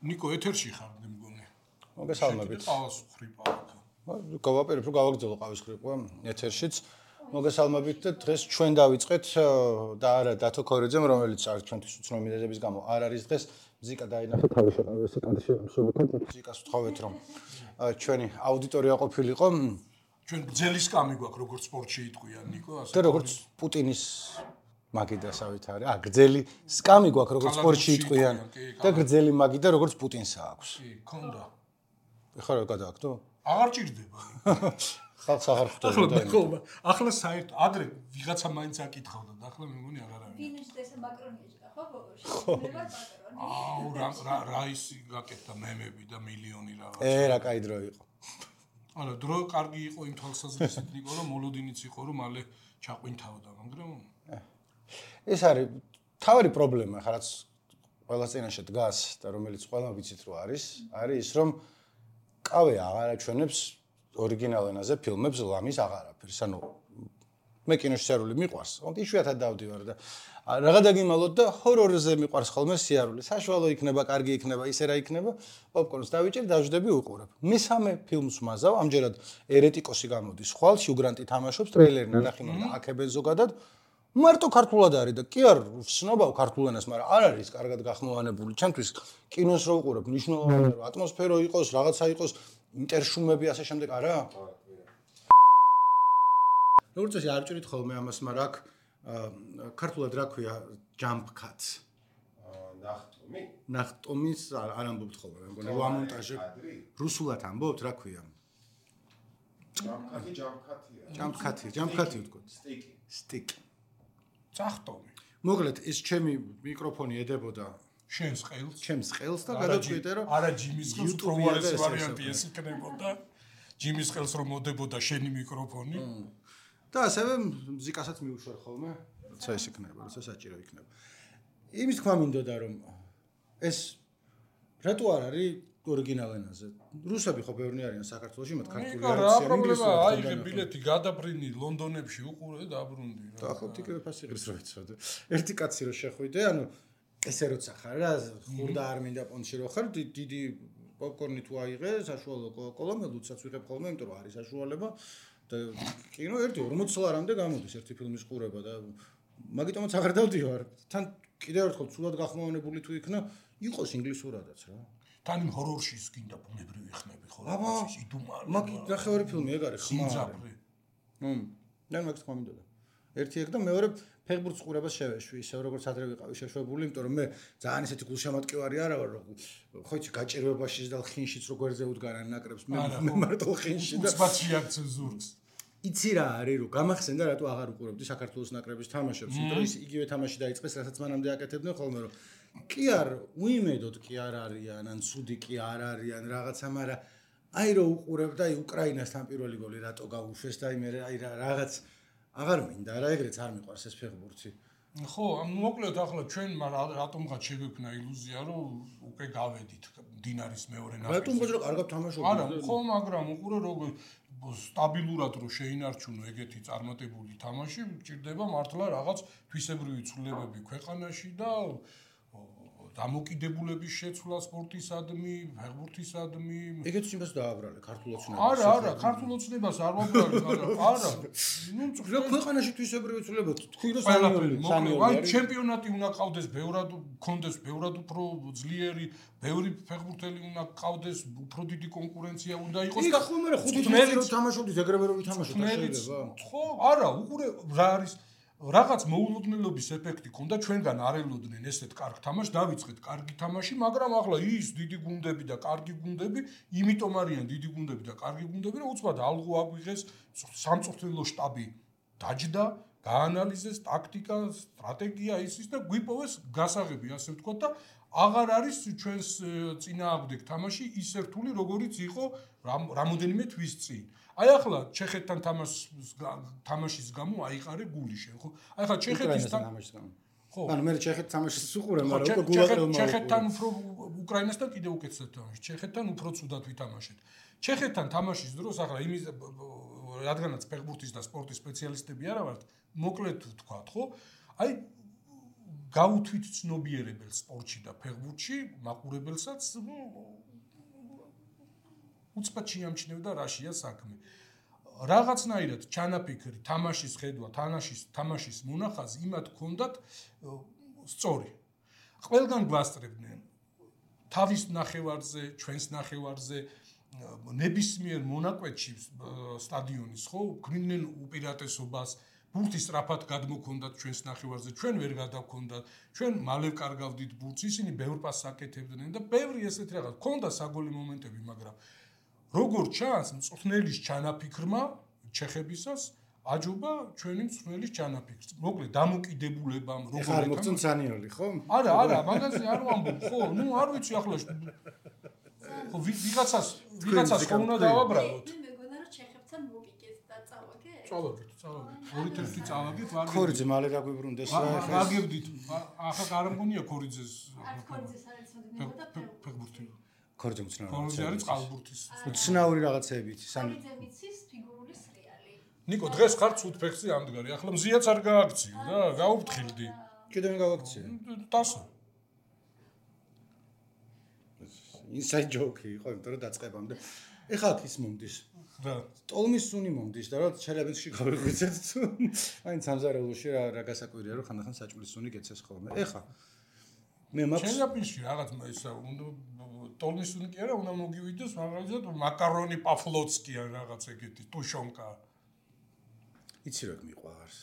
ნიკო ეთერში ხარ მე მგონი. მოგესალმებით. ყავს ხრიპა. გავაპირებ რომ გავაგრძელო ყავის ხრიპა ეთერშიც. მოგესალმებით და დღეს ჩვენ დავიწყეთ და არა დათო ქორიძემ რომელიც არის ჩვენთვის უცნობი მიზეზების გამო არ არის დღეს მზიკა დაინახა თავის შეყარებასა კადრში ამსუბუქად მზიკას ვთხოვეთ რომ ჩვენი აუდიტორია ყოფილიყო ჩვენ გძელი სკამი გვაქვს როგორც სპორტში იტყვიან ნიკო ასე და როგორც პუტინის მაგიდასავით არის გძელი სკამი გვაქვს როგორც სპორტში იტყვიან და გძელი მაგიდა როგორც პუტინსა აქვს კი ქონდა ეხლა რა გადააქვს აღარ ჭირდება ხალხს აღარ ხვდება და ახლა საერთოდ ადრე ვიღაცა მაინც აკითხავდა და ახლა მე მგონი აღარ არის ფინიშდეს მაკრონიეჭდა ხო ბოგოში რა ისი გაკეთდა მემები და მილიონი რაღაც რა კაი დრო იყო არა დრო კარგი იყო იმ თვალსაზრისით ნიკო რომ მოლოდინიც იყო რომ მალე ჩაყვინთავდა მაგრამ ეს არის თავი პრობლემა ხა რაც ყველა წინაშე დგას და რომელიც ყველა ვიცით რომ არის ის რომ ყავე აღარ აჩვენებს ორიგინალ ენაზე ფილმებს ლამის აღარაფერს. ანუ მე კინოში სიარული მიყვარს. თუმცა იშვიათად დავდივარ და რაღა დაგიმალოთ და ჰორორზე მიყვარს ხოლმე სიარული. საშუალო იქნება, კარგი იქნება, ისე რა იქნება, პოპკორნს დავიჭერ, დავждები უყურებ. მესამე ფილმს მაზავ, ამჯერად ერეტიკოსი გამოდის ხვალ, ჰიუგრანტი თამაშობს, ტრეილერი ნახე მაგრამ აქებენ ზოგადად. მარტო ქართულად არის და კი არ ვცნობავ ქართულ ენას, მაგრამ არ არის კარგად გახმოვანებული. ჩემთვის კინოს რო უყურებ, მნიშვნელოვანია რომ ატმოსფერო იყოს, რაღაცა იყოს, ინტერშუმები ასე შემდეგ არა? როგორც წესი არ ჭირით ხოლმე ამას, მაგრამ აქ ქართულად რა ქვია jump cuts. ნახტომის არ ამბობთ ხოლმე, მე მგონი ამონტაჟე. რუსულად ამბობთ, რა ქვია? jump cut-ი ვთქვათ. stick. წახტომი. მოკლედ ეს ჩემი მიკროფონი ედებოდა შენს ყელს და გადავწყვიტე რომ არა ჯიმის ყელს პროვარეს ვარიანტი ეს იქნებოდა ჯიმის ყელს რომ მოდებოდა შენი მიკროფონი და ასევე მუსიკასაც მიუშვერ ხოლმე როცა ეს იქნება როცა საჭირო იქნება იმის თქვა მინდოდა რომ ეს რატო არ არის ორიგინალ ენაზე რუსები ხო ბევრი არიან საქართველოში მათ ქართული არაცია ინგლისურად აიღე ბილეთი გადაბრინი ლონდონებში უყურე და აბრუნდი რა და ახლა ტიკეტი ფასი ღირს რო იცოდე ერთი კაცი რო შეხვიდე ანუ ესე როცა ხარ რა ხურდა არ მინდა პონჩი რო ხარ დიდი პოპკორნი თუ აიღე საშუალო კოკა-კოლა მე ლუცაც ვიღებ ხოლმე იმიტომ რომ არის საშუალება და კინო 40 დოლარამდე გამოდის ერთი ფილმის ყურება და მაგიტომაც აღარ დავდივარ თან კიდევ ერთხელ ცუდად გახმოვანებული თუ იქნა იყოს ინგლისურადაც რა თან იმ ჰორორში ის გინდა ბუნებრივი ხმები ხო ის იდუმარი მაგ ნახევარი ფილმი ეგ არის ხმარი და მაგ თქვა მინდოდა ერთი ეგ და მეორე ფეხბურთის ყურებას შევეშვი ისე როგორც ადრე ვიყავი შეშვებული იმიტომ რომ მე ძალიან ისეთი გულშემატკივარი არა ვარ რომ ხო იცი გაჭირვებაშიც და ხინშიც რო გვერდზე უდგარან ნაკრებს მე მარტო ხინში და უცბაცია ცენზურს იცი რა არის რომ გამახსენდა რატო აღარ უყურებდი საქართველოს ნაკრების თამაშებს იმიტომ ის იგივე თამაში დაიწყეს რასაც მანამდე აკეთებდნენ ხოლმე რომ კი არ უიმედოდ კი არ არიან ან ცუდი კი არ არიან რაღაცა მაგრამ აი რომ უყურებ და აი უკრაინასთან პირველი გოლი რატო გაუშვეს და მე აი რაღაც აღარ მინდა რა ეგრეც არ მიყვარს ეს ფეხბურთი ხო მოკლედ ახლა ჩვენ რატომღაც შეგვექნა ილუზია რომ უკვე გავედით დინარის მეორე ნაკრებში რატომღაც რომ კარგად თამაშობენ არა ხო მაგრამ უყურე როგორ სტაბილურად რო შეინარჩუნო ეგეთი წარმატებული თამაში ჭირდება მართლა რაღაც თვისებრივი ცვლილებები ქვეყანაში და დამოკიდებულების შეცვლა სპორტისადმი, ფეხბურთისადმი. ეგეც იმას დააბრალე ქართულ ოცნებას. არა, ქართულ ოცნებას არ ვაბრალე, მაგრამ არა. ნუ ქვეყანაში თვისებრივი ცვლილება თქვი რომ სამი აი ჩემპიონატი უნდა ყავდეს ბევრად, კონდეს ბევრად უფრო ძლიერი, ბევრი ფეხბურთელი უნდა ყავდეს, უფრო დიდი კონკურენცია უნდა იყოს და ხომ არა 5 წელი რომ თამაშობდი ეგრევე რომ ვითამაშოთ შეიძლება. ხო, არა, უყურე რა არის რაღაც მოულოდნელობის ეფექტი ქონდა ჩვენგან არ ელოდნენ ესეთ კარგ თამაშს დავიწყეთ კარგი თამაში მაგრამ ახლა ის დიდი გუნდები და კარგი გუნდები იმიტომ არიან დიდი გუნდები და კარგი გუნდები რომ უცბად ალღო აგვიღეს სამწვრთნელო შტაბი დაჯდა გაანალიზეს ტაქტიკა სტრატეგია ისის და გვიპოვეს გასაღები ასე ვთქვათ და აღარ არის ჩვენს წინააღმდეგ თამაში ისე რთული როგორიც იყო რამოდენიმე თვის წინ აი ახლა ჩეხეთთან თამაშის გამო აიყარე გული შენ ხო აი ახლა ჩეხეთისთან ხო ანუ მე ჩეხეთ თამაშის უყურე მაგრამ უკვე გულაღელმა ჩეხეთთან უფრო უკრაინასთან კიდევ უკეთესად თამაში ჩეხეთთან უფრო ცუდად ვითამაშეთ ჩეხეთთან თამაშის დროს ახლა იმის რადგანაც ფეხბურთის და სპორტის სპეციალისტები არა ვართ მოკლედ ვთქვათ ხო აი გაუთვით ცნობიერებელ სპორტში და ფეხბურთში მაყურებელსაც უცბად შეამჩნევდა რაშია საქმე. რაღაცნაირად ჩანაფიქრი, თამაშის ხედვა, თამაშის მონახაზი იმათ ჰქონდათ სწორი. ყველგან გვასწრებდნენ თავის ნახევარზე, ჩვენს ნახევარზე, ნებისმიერ მონაკვეთში სტადიონის, ხო, გვინდნენ უპირატესობას, ბურთი სწრაფად გადმოქონდათ ჩვენს ნახევარზე, ჩვენ ვერ გადავქონდათ, ჩვენ მალე კარგავდით ბურთს, ისინი ბევრ პასს აკეთებდნენ და ბევრი ესეთი რაღაც. ჰქონდა საგოლე მომენტები, მაგრამ როგორ ჩანს, მწვრთნელის ჩანაფიქრმა ჩეხებისას აჯობა ჩვენი მწვრთნელის ჩანაფიქრს. მოკლედ დამოკიდებულებამ როგორ ხარ მოგწონს სანიოლი, ხო? არა, მაგაზე არ ვამბობ, ხო, ნუ არ ვიცი ახლა. ხო, ვიღაცას ხო უნდა დავაბრალოთ. მე მეგონა რომ ჩეხებთან მოგიგეთ და წავაგეთ. წავაგეთ. ორი-ერთი წავაგეთ, ვაგებდით. ქორიძე მალე დაგვიბრუნდეს რა ახლა. ვაგებდით. ახლა არ მგონია ქორიძეს. ქორიძეს არის ცნობილი და ფეხბურთი. ქორიძე მცნაური. ქორიძე არის წყალბურთის. მცნაური რაღაცეებით. ქორიძე მიცის ფიგურული სრიალი. ნიკო, დღეს ხარ ცუდ ფეხზე ამდგარი. ახლა მზიაც არ გააქციო და გაუფრთხილდი. კიდევ მე გავაქციე. დასო. inside joke იყო, იმიტომ რომ დაწყებამდე. ეხლა აქ ის მომდის. რა. ტოლმის სუნი მომდის და რა ჩელაბინსკი გავიღვიძეთ თუ აი სამზარეულოში რა გასაკვირია რომ ხანდახან საჭმლის სუნი გეცეს ხოლმე. ეხლა მე მაქვს ჩელაბინსკი რაღაც ისა ტოლმის სუნი კი არა, უნდა მოგივიდეს მაგალითად მაკარონი პაფლოცკი ან რაღაც ეგეთი ტუშონკა. იცი რა მიყვარს.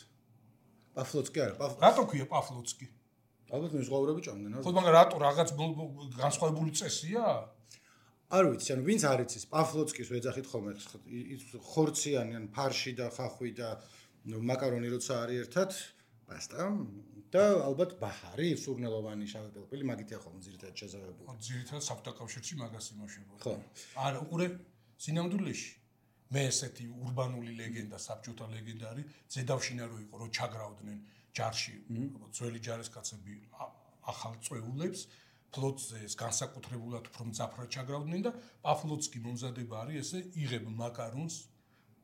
პაფლოცკი არა, რატო ქვია პაფლოცკი? ალბათ მე ზღვაურები ჭამდნენ არა. ხო, მაგრამ რატო რაღაც განსხვავებული წესია? არ ვიცი, ანუ ვინც არ იცის, პაფლოცკის ვეძახით ხოლმე ხორციანი ან ფარში და ხახვი და მაკარონი როცა არის ერთად, პასტა და ალბათ ბაჰარი, სურნელოვანი შავი პილპილი, მაგითია ხოლმე ძირითადად შეზავებული. ძირითადად საბჭოთა კავშირში მაგას იმუშავებდა. ხო. არა, უყურე სინამდვილეში მე ესეთი ურბანული ლეგენდა, საბჭოთა ლეგენდა არის, ზედავშინა რო იყო, რომ ჩაგრავდნენ ჯარში, ძველი ჯარისკაცები ახალ წვეულებს ფლოტზე ეს განსაკუთრებულად უფრო მძაფრად ჩაგრავდნენ და პაფლოცკი მომზადება არის ესე იღებ მაკარონს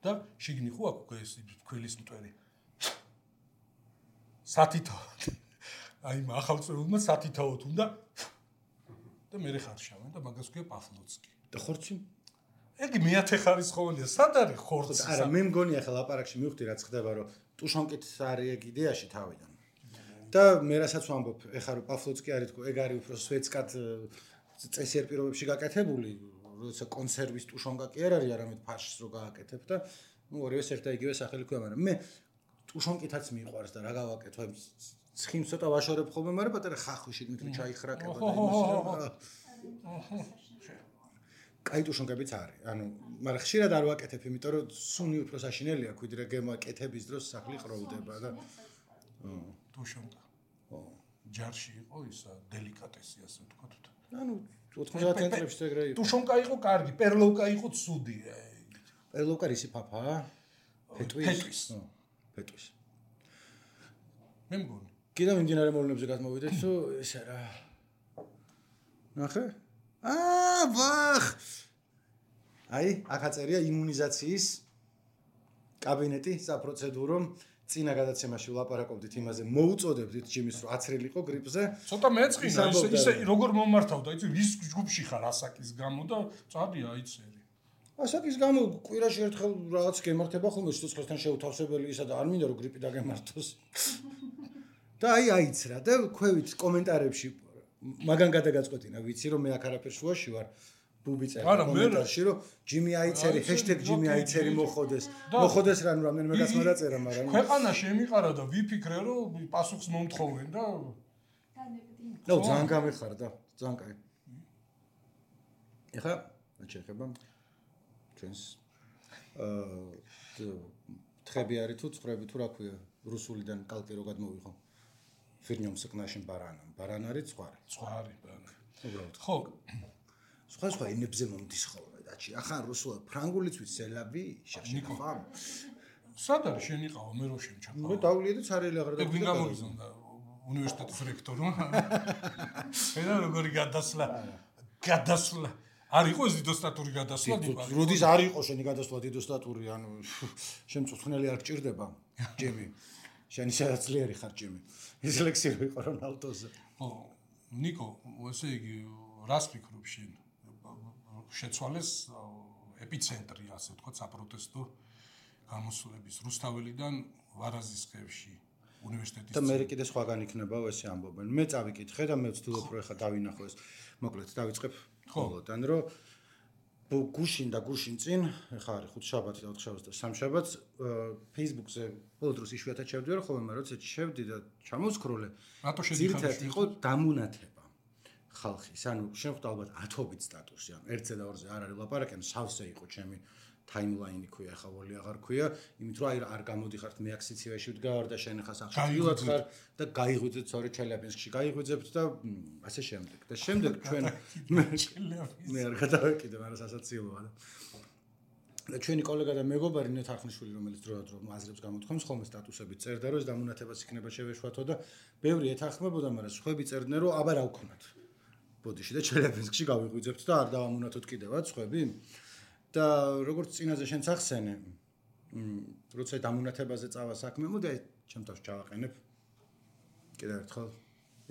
და შიგნი ხო აქვს ეს ქველის მტვერი. სათითაოდ. აი ახალ წვეულმა სათითაოდ უნდა და მე ხარშავენ და მაგას ქვია პაფლოცკი. და ხორცი? ეგი მეათე ხარისხოვანია. სად არის ხორცი? არა, მე მგონი ახლა ლაპარაკში მივხვდი რაც ხდება, რომ ტუშონკით არის ეგ იდეაში თავიდან. და მე რასაც ვამბობ, ეხლა რომ პაფლოცკი არის თქო, ეგ არის უფრო სვეცკად წესიერ პირობებში გაკეთებული, როცა კონსერვის ტუშონკა კი არ არის, არამედ ფაშს რო გააკეთებ და ნუ ორივეს ერთ და იგივე სახელი ქვია, მაგრამ მე ტუშონკითაც მიყვარს და რა გავაკეთო, ცხიმს ცოტა ვაშორებ ხოლმე, მაგრამ პატარა ხახვი შეგნით რომ ჩაიხრაკება და იმას. კაი ტუშონკებიც არის. ანუ, მაგრამ ხშირად არ ვაკეთებ, იმიტომ რომ სუნი უფრო საშინელია, ვიდრე გემაკეთების დროს სახლი ყროლდება და ტუშონკა. ჯარში იყო ისა დელიკატესი ასე ვთქვათ. ანუ 90 ცენტრებში ეგრე იყო. ტუშონკა იყო კარგი, პერლოვკა იყო ცუდი. პერლოვკა რისი ფაფაა? ფეტვის. ფეტვის. მე მგონი. კიდევ მიმდინარე მოვლენებზე გადმოვიდეთ, თუ ეს რა. ნახე? ვახ. აი, აქ აწერია იმუნიზაციის კაბინეტი საპროცედურო წინა გადაცემაში ვლაპარაკობდით იმაზე, მოუწოდებდით ჯიმის რომ აცრილიყო გრიპზე. ცოტა მეწყინა, ისე როგორ მომართავდა, იცი, ვის ჯგუფში ხარ ასაკის გამო და წადია აიცერი. ასაკის გამო კვირაში ერთხელ რაღაც გემართება ხოლმე სიცოცხლესთან შეუთავსებელი ისა და არ მინდა რომ გრიპი დაგემართოს. და აი აიცრა და ქვევით კომენტარებში მაგან გადაგაწყვეტინა, ვიცი რომ მე აქ არაფერ შუაში ვარ. ბუბი წერდა კომენტარში რომ ჯიმი აიცერი #ჯიმი აიცერი მოხოდეს. მოხოდეს რა ნუ რამდენიმე კაცმა დაწერა, მაგრამ ქვეყანა შემიყარა და ვიფიქრე რომ პასუხს მომთხოვენ და ნუ ძალიან გამეხარდა, ძალიან კაი. ეხლა შეეხება ჩვენს თხები არის თუ წხრები თუ რა ქვია, რუსულიდან კალკი რო გადმოვიღო. ფირნიომ სკნაშინ ბარანა. ბარანა არის წვარი. წვარი ბარანა. უბრალოდ. ხო. სხვა ენებზე მომდის ხოლმე დაჩი. ახლა რუსულად, ფრანგულიც ვიცი, სელავი, შეხშეხა. სად არის შენიყავა მე რო შემჩახა. მე დავლიე და ცარიელი აღარ და ვინ გამოგიზონდა უნივერსიტეტის რექტორმა. ენა როგორი გადასვლა. არ იყო ეს დიდოსტატური გადასვლა დიპა. როდის არ იყო შენი გადასვლა დიდოსტატური, ანუ შენ მწვრთნელი არ გჭირდება, ჯემი. შენი სადაც ძლიერი ხარ ჯემი. ისლექსი რო იყო რონალდოზე. ხო, ნიკო, ესე იგი, რას ფიქრობ შენ? შეცვალეს ეპიცენტრი, ასე ვთქვათ, საპროტესტო გამოსვლების რუსთაველიდან ვარაზის ხევში უნივერსიტეტის და მე კიდე სხვაგან იქნებაო ესე ამბობენ. მე წავიკითხე და მე ვცდილობ რომ ეხა დავინახო ეს. მოკლედ დავიწყებ ხოლოდან რომ გუშინ წინ ეხა არის ხუთშაბათი და ოთხშაბათი და სამშაბათს Facebook-ზე ბოლო დროს იშვიათად შევდივარ ხოლმე, მაგრამ როცა შევდი და ჩამოვსკროლე, რატო შედიხარ? ძირითადად იყო დამუნათება ხალხის. ანუ შენ ხვდა ალბათ 10-ობით სტატუსი, ანუ 1-ზე და 2-ზე არ არის ლაპარაკი, ანუ სავსე იყო ჩემი timeline ქვია, ახლა ვოლი აღარ ქვია, იმით რომ არ გამოდიხართ მე აქ სიცივეში ვდგარ და შენ ახლა სახელმწიფოდ ხარ და გაიღვიძეთ სწორი ჩელიაბინსკში, გაიღვიძებთ და ასე შემდეგ. და შემდეგ ჩვენ მე არ გადავეკიდე, მაგრამ სასაცილოა და ჩვენი კოლეგა და მეგობარი ნეთ ახნიშვილი, რომელიც დროდადრო აზრებს გამოთქვამს, ხოლმე სტატუსებით წერდა, რომ ეს დამუნათებას იქნება შევეშვათო და ბევრი ეთანხმებოდა, მაგრამ სხვები წერდნენ, რომ აბა რა ვქნათ. ბოდიში და ჩელიაბინსკში გავიღვიძებთ და არ დავამუნათოთ კიდევაც სხვები. და როგორც წინაზე შენც ახსენე, როცა დამუნათებაზე წავა საქმე, მოდი ჩემ თავს ჩავაყენებ კიდევ ერთხელ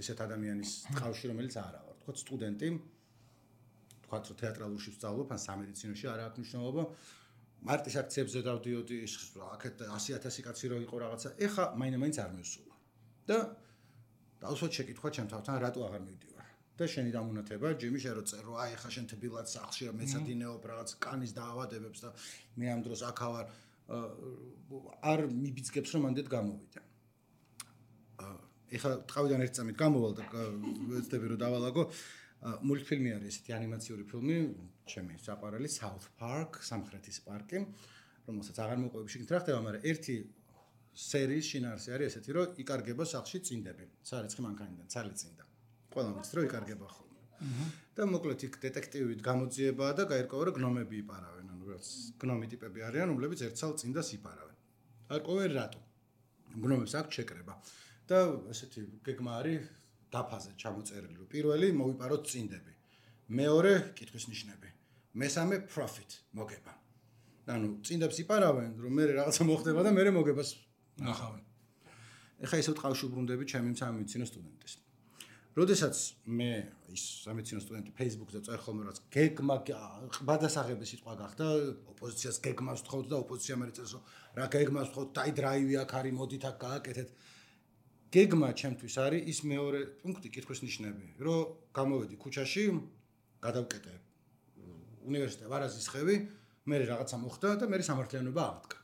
ესეთ ადამიანის ტყავში, რომელიც არა ვარ, თქო სტუდენტი, თქვათ რომ თეატრალურში ვსწავლობ, ან სამედიცინოში არა აქვს მნიშვნელობა, მარტის აქციებზე დავდიოდი, აქეთ 100,000 კაცი რო იყო რაღაცა, ეხა მაინც არ მევსულა. და დავუსვათ შეკითხვა ჩემ თავთან, რატო აღარ მივდივარ? და შენი დამუნათება, ჯიმი შენ რო წერ, რომ აი ახლა შენ თბილად სახლში რა მეცადინეობ რაღაც კანის დაავადებებს და მე ამ დროს აქ ავარ არ მიბიძგებს რომ ამდეთ გამოვიდა. ეხლა ტყავიდან ერთ წამით გამოვალ და ვეცდები რომ დავალაგო, მულტფილმი არის ესეთი ანიმაციური ფილმი, ჩემი საყვარელი South Park, სამხრეთის პარკი, რომელსაც აღარ მოყვები შეგით რა ხდება, მაგრამ ერთი სერიის შინაარსი არის ესეთი, რომ იკარგება სახლში წინდები, სარეცხი მანქანიდან, ცალი წინდა. ყველა მის რო იკარგება ხოლმე. და მოკლედ იქ დეტექტივით გამოძიებაა და გაირკვევა რომ გნომები იპარავენ, ანუ რაც გნომი ტიპები არიან, რომლებიც ერთ სალ წინდას იპარავენ. არკვევენ რატო? გნომებს აქვს შეკრება. და ესეთი გეგმა არის დაფაზე ჩამოწერილი, რომ პირველი მოვიპაროთ წინდები. მეორე კითხვის ნიშნები. მესამე profit მოგება. ანუ წინდებს იპარავენ, რომ მე რაღაცა მოხდება და მე მოგებას ნახავენ. ეხა ისევ ტყავში უბრუნდები ჩემი სამედიცინო სტუდენტის. როდესაც მე ის სამედიცინო სტუდენტი Facebook-ზე წერ ხოლმე რაც გეგმა ბადასაღები სიტყვა გახდა, ოპოზიციას გეგმას ვთხოვთ და ოპოზიცია მე წერს რომ რა გეგმას ვთხოვთ, დაი დრაივი აქ არის, მოდით აქ გააკეთეთ. გეგმა ჩემთვის არის ის მეორე პუნქტი კითხვის ნიშნები, რომ გამოვედი ქუჩაში, გადავკეტე უნივერსიტეტ ვარაზის ხევი, მე რაღაცა მოხდა და მე სამართლიანობა აღდგა.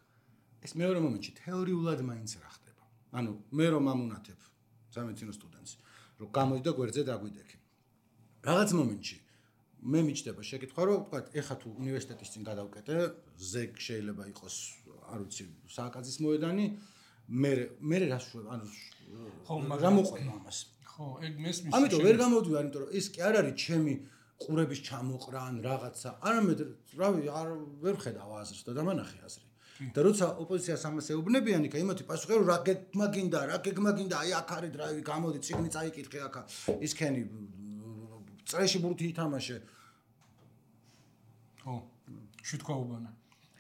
ეს მეორე მომენტში თეორიულად მაინც რა ხდება. ანუ მე რომ ამუნათებ სამედიცინო სტუდენტს რომ გამოდი და გვერდზე დაგვიდექი. რაღაც მომენტში მე მიჩნდება შეკითხვა, რომ ვთქვათ, ეხა თუ უნივერსიტეტის წინ გადავკეტე, ზეგ შეიძლება იყოს, არ ვიცი, სააკაძის მოედანი, მე რას შვებ, ანუ ხო, რა მოყვება ამას? ხო, ეგ მესმის. ამიტომ ვერ გამოდივარ, იმიტომ რომ ეს კი არ არის ჩემი ყურების ჩამოყრა ან რაღაცა. არამედ, რავი, ვერ ხედავ აზრს და დამანახე აზრი. და როცა ოპოზიციას ამას ეუბნებიან, იქა იმათი პასუხი რომ რა გეგმა გინდა, აი აქ არის დრაივი, გამოდი, წიგნი წაიკითხე აქა, ისქენი წრეში ბურთი ითამაშე. ხო, შეთქვაობანა.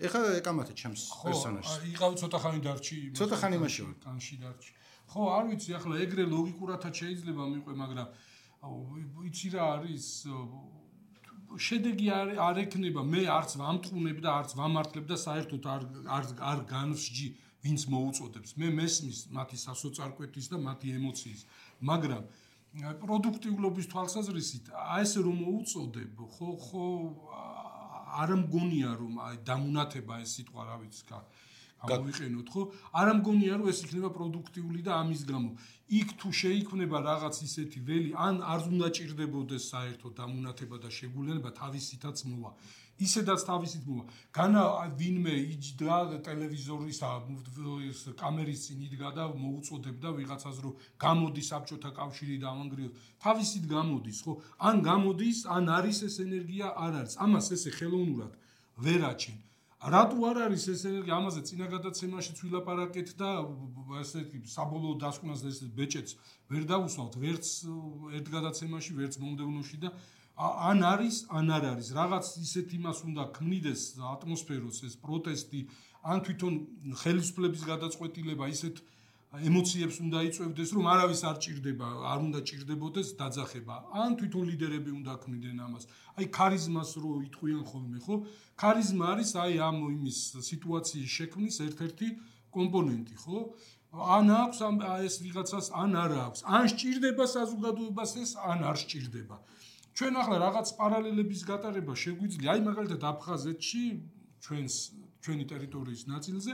ეხა ეკამათე ჩემს პერსონაჟს. ხო, იყავი ცოტა ხანი დარჩი. ცოტა ხანი იმაში ვარ. კანში დარჩი. ხო, არ ვიცი, ახლა ეგრე ლოგიკურათაც შეიძლება მიყვე, მაგრამ იცი რა არის შედეგი არ ექნება, მე არც ვამტყუნებ და არც ვამართლებ და საერთოდ არ განსჯი ვინც მოუწოდებს. მე მესმის მათი სასოწარკვეთის და მათი ემოციის, მაგრამ პროდუქტიულობის თვალსაზრისით აი ესე რომ მოუწოდებ, ხო არ მგონია რომ აი დამუნათება ეს სიტყვა რა ვიცი გამოვიყენოთ, ხო? არ მგონია რომ ეს იქნება პროდუქტიული და ამის გამო იქ თუ შეიქმნება რაღაც ისეთი ველი, ან არ უნდა ჭირდებოდეს საერთოდ დამუნათება და შეგულება თავისითაც მოვა. ისედაც თავისით მოვა. განა ვინმე იჯდა ტელევიზორის კამერის წინ იდგა და მოუწოდებდა ვიღაცას რომ გამოდი საბჭოთა კავშირი დავანგრიოთ. თავისით გამოდის, ხო? ან გამოდის, ან არის ეს ენერგია, არ არის. ამას ესე ხელოვნურად ვერ აჩენ. რატო არ არის ეს ენერგია? ამაზე წინა გადაცემაშიც ვილაპარაკეთ და ესეთი საბოლოო დასკვნას და ეს ბეჭედს ვერ დავუსვავთ, ვერც ერთ გადაცემაში, ვერც მომდევნოში და ან არის, ან არ არის. რაღაც ისეთ იმას უნდა ქმნიდეს ატმოსფეროს ეს პროტესტი, ან თვითონ ხელისუფლების გადაწყვეტილება ისეთ ემოციებს უნდა იწვევდეს, რომ არავის არ ჭირდება, არ უნდა ჭირდებოდეს დაძახება. ან თვითონ ლიდერები უნდა ქმნიდნენ ამას. აი ქარიზმას რო იტყვიან ხოლმე, ხო? ქარიზმა არის აი ამ იმის სიტუაციის შექმნის ერთ-ერთი კომპონენტი, ხო? ან აქვს ეს ვიღაცას, ან არ აქვს. ან სჭირდება საზოგადოებას ეს, ან არ სჭირდება. ჩვენ ახლა რაღაც პარალელების გატარება შეგვიძლია, აი მაგალითად აფხაზეთში, ჩვენი ტერიტორიის ნაწილზე,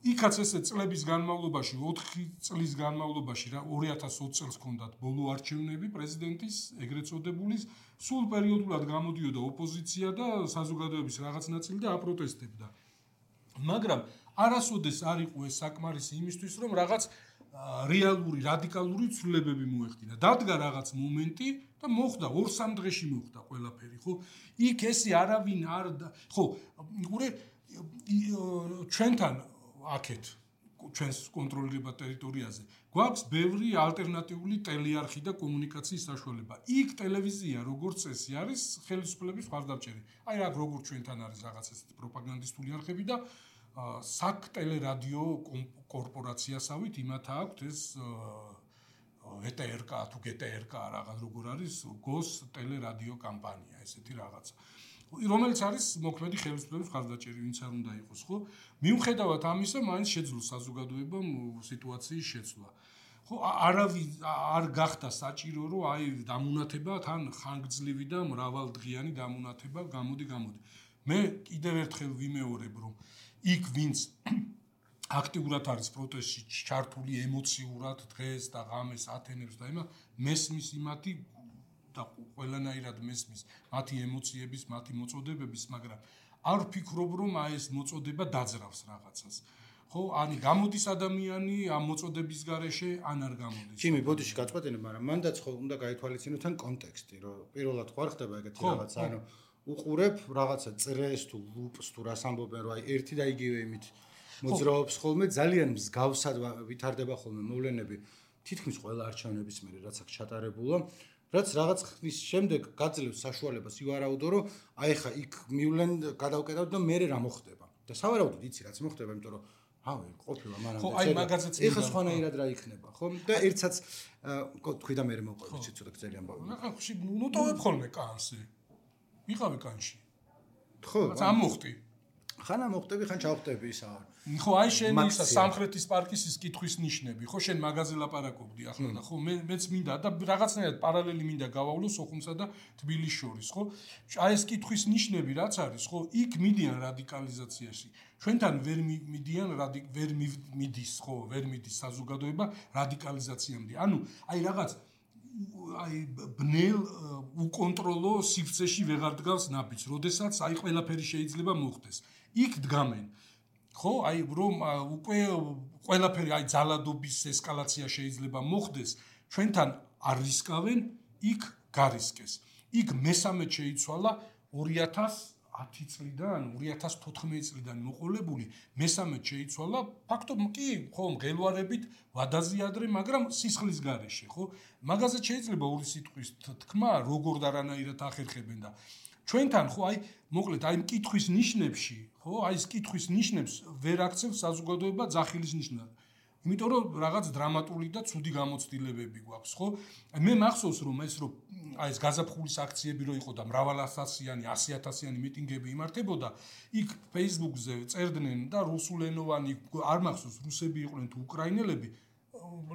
იქაც ესე წლების განმავლობაში, 4 წლის განმავლობაში, 2020 წელს ჰქონდათ ბოლო არჩევნები პრეზიდენტის, ეგრეთ წოდებულის, სულ პერიოდულად გამოდიოდა ოპოზიცია და საზოგადოების რაღაც ნაწილი და აპროტესტებდა. მაგრამ არასოდეს არ იყო ეს საკმარისი იმისთვის, რომ რაღაც რეალური, რადიკალური ცვლილებები მოეხდინა. დადგა რაღაც მომენტი და მოხდა 2-3 დღეში მოხდა ყველაფერი, ხო? იქ ესე არავინ არ ხო, უყურე ჩვენთან აქეთ ჩვენს კონტროლირებად ტერიტორიაზე გვაქვს ბევრი ალტერნატიული ტელეარხი და კომუნიკაციის საშუალება. იქ ტელევიზია როგორც წესი არის ხელისუფლების მხარდამჭერი. აი რა როგორც ჩვენთან არის რაღაც ესეთი პროპაგანდისტული არხები და საკტელერადიო კორპორაციასავით იმათ აქვს ეს ETRK თუ GTRK რაღაც როგორ არის GOS ტელერადიო კამპანია ესეთი რაღაცა. რომელიც არის მოქმედი ხელისუფლების მხარდამჭერი, ვინც არ უნდა იყოს, ხო? მიუხედავად ამისა, მაინც შეძლო საზოგადოებამ სიტუაციის შეცვლა. ხო, არავის არ გახდა საჭირო, რომ აი დამონათება თან ხანგრძლივი და მრავალდღიანი დამონათება გამოდი. მე კიდევ ერთხელ ვიმეორებ, რომ იქ ვინც აქტიურად არის პროტესტში ჩართული ემოციურად დღეს და ღამეს ათენებს და იმას მესმის იმათი და ყველანაირად მესმის მათი ემოციების, მათი მოწოდებების, მაგრამ არ ვფიქრობ, რომ აი ეს მოწოდება დაძრავს რაღაცას. ხო, ani გამოდის ადამიანი ამ მოწოდების გარეშე, ან არ გამოდის. ჩემი ბოდიში გაწყვეტინე, მაგრამ მანდაც ხო უნდა გაითვალისწინო თან კონტექსტი, რომ პირველად ხო არ ხდება ეგეთი რაღაცა, ანუ უყურებ რაღაცა წრეს თუ ლუპს თუ რას ამბობენ, რომ აი ერთი და იგივე იმით მოძრაობს ხოლმე, ძალიან მსგავსად ვითარდება ხოლმე მოვლენები თითქმის ყველა არჩევნების მერე, რაც აქ ჩატარებულა. რაც რაღაც ხნის შემდეგ გაძლევს საშუალებას ივარაუდო, რომ აი ხა იქ მივლენ გადავკეტავ და მე რა მოხდება. და სავარაუდოდ იცი რაც მოხდება, იმიტომ რომ ავე ყოფილა მანამდე. ხო, აი მაგაზეც ეხა სხვანაირად რა იქნება, ხო? და ერთსაც თქვი და მე მოყვებით ცოტა გწელი ამბავი. ახლა ნუტოვებ ხოლმე კანსი. ვიყავი კანში. ხო, ამ მოხდი. ხან მოხდები, ხან ჩავხდები ისა. ხო, აი შენ ისა სამხრეთის პარკის ის კითხვის ნიშნები, ხო, შენ მაგაზე ლაპარაკობდი ახლა და ხო, მეც მინდა და რაღაცნაირად პარალელი მინდა გავავლო სოხუმსა და თბილისის შორის, ხო? აი ეს კითხვის ნიშნები რაც არის, ხო, იქ მიდიან რადიკალიზაციაში. ჩვენთან ვერ მიდიან, ვერ მიდის, ხო, ვერ მიდის საზოგადოება რადიკალიზაციამდე. ანუ აი რაღაც აი ბნელ უკონტროლო სივრცეში ვეღარ დგავს ნაბიჯს, როდესაც აი ყველაფერი შეიძლება მოხდეს. იქ დგამენ. ხო, აი რომ უკვე ყველაფერი აი ძალადობის ესკალაცია შეიძლება მოხდეს, ჩვენთან არ რისკავენ, იქ გარისკეს. იქ მესამედ შეიცვალა 2010 წლიდან, 2014 წლიდან მოყოლებული, მესამედ შეიცვალა ფაქტობრივად კი, ხო, მღელვარებით ვადაზიადრე, მაგრამ სისხლის გარეშე, ხო? მაგაზე შეიძლება ორი სიტყვის თქმა, როგორ და რანაირად ახერხებენ და ჩვენთან ხო აი მოკლედ აი მკითხვის ნიშნებში, ხო, აი ეს მკითხვის ნიშნებს ვერ აქცევს საზოგადოება ძახილის ნიშნად. იმიტომ რომ რაღაც დრამატული და ცუდი გამოცდილებები გვაქვს, ხო? მე მახსოვს რომ ეს გაზაფხულის აქციები რო იყო და მრავალასასიანი, 100.000-იანი მიტინგები იმართებოდა, იქ Facebook-ზე წერდნენ და რუსულენოვანი არ მახსოვს რუსები იყვნენ თუ უკრაინელები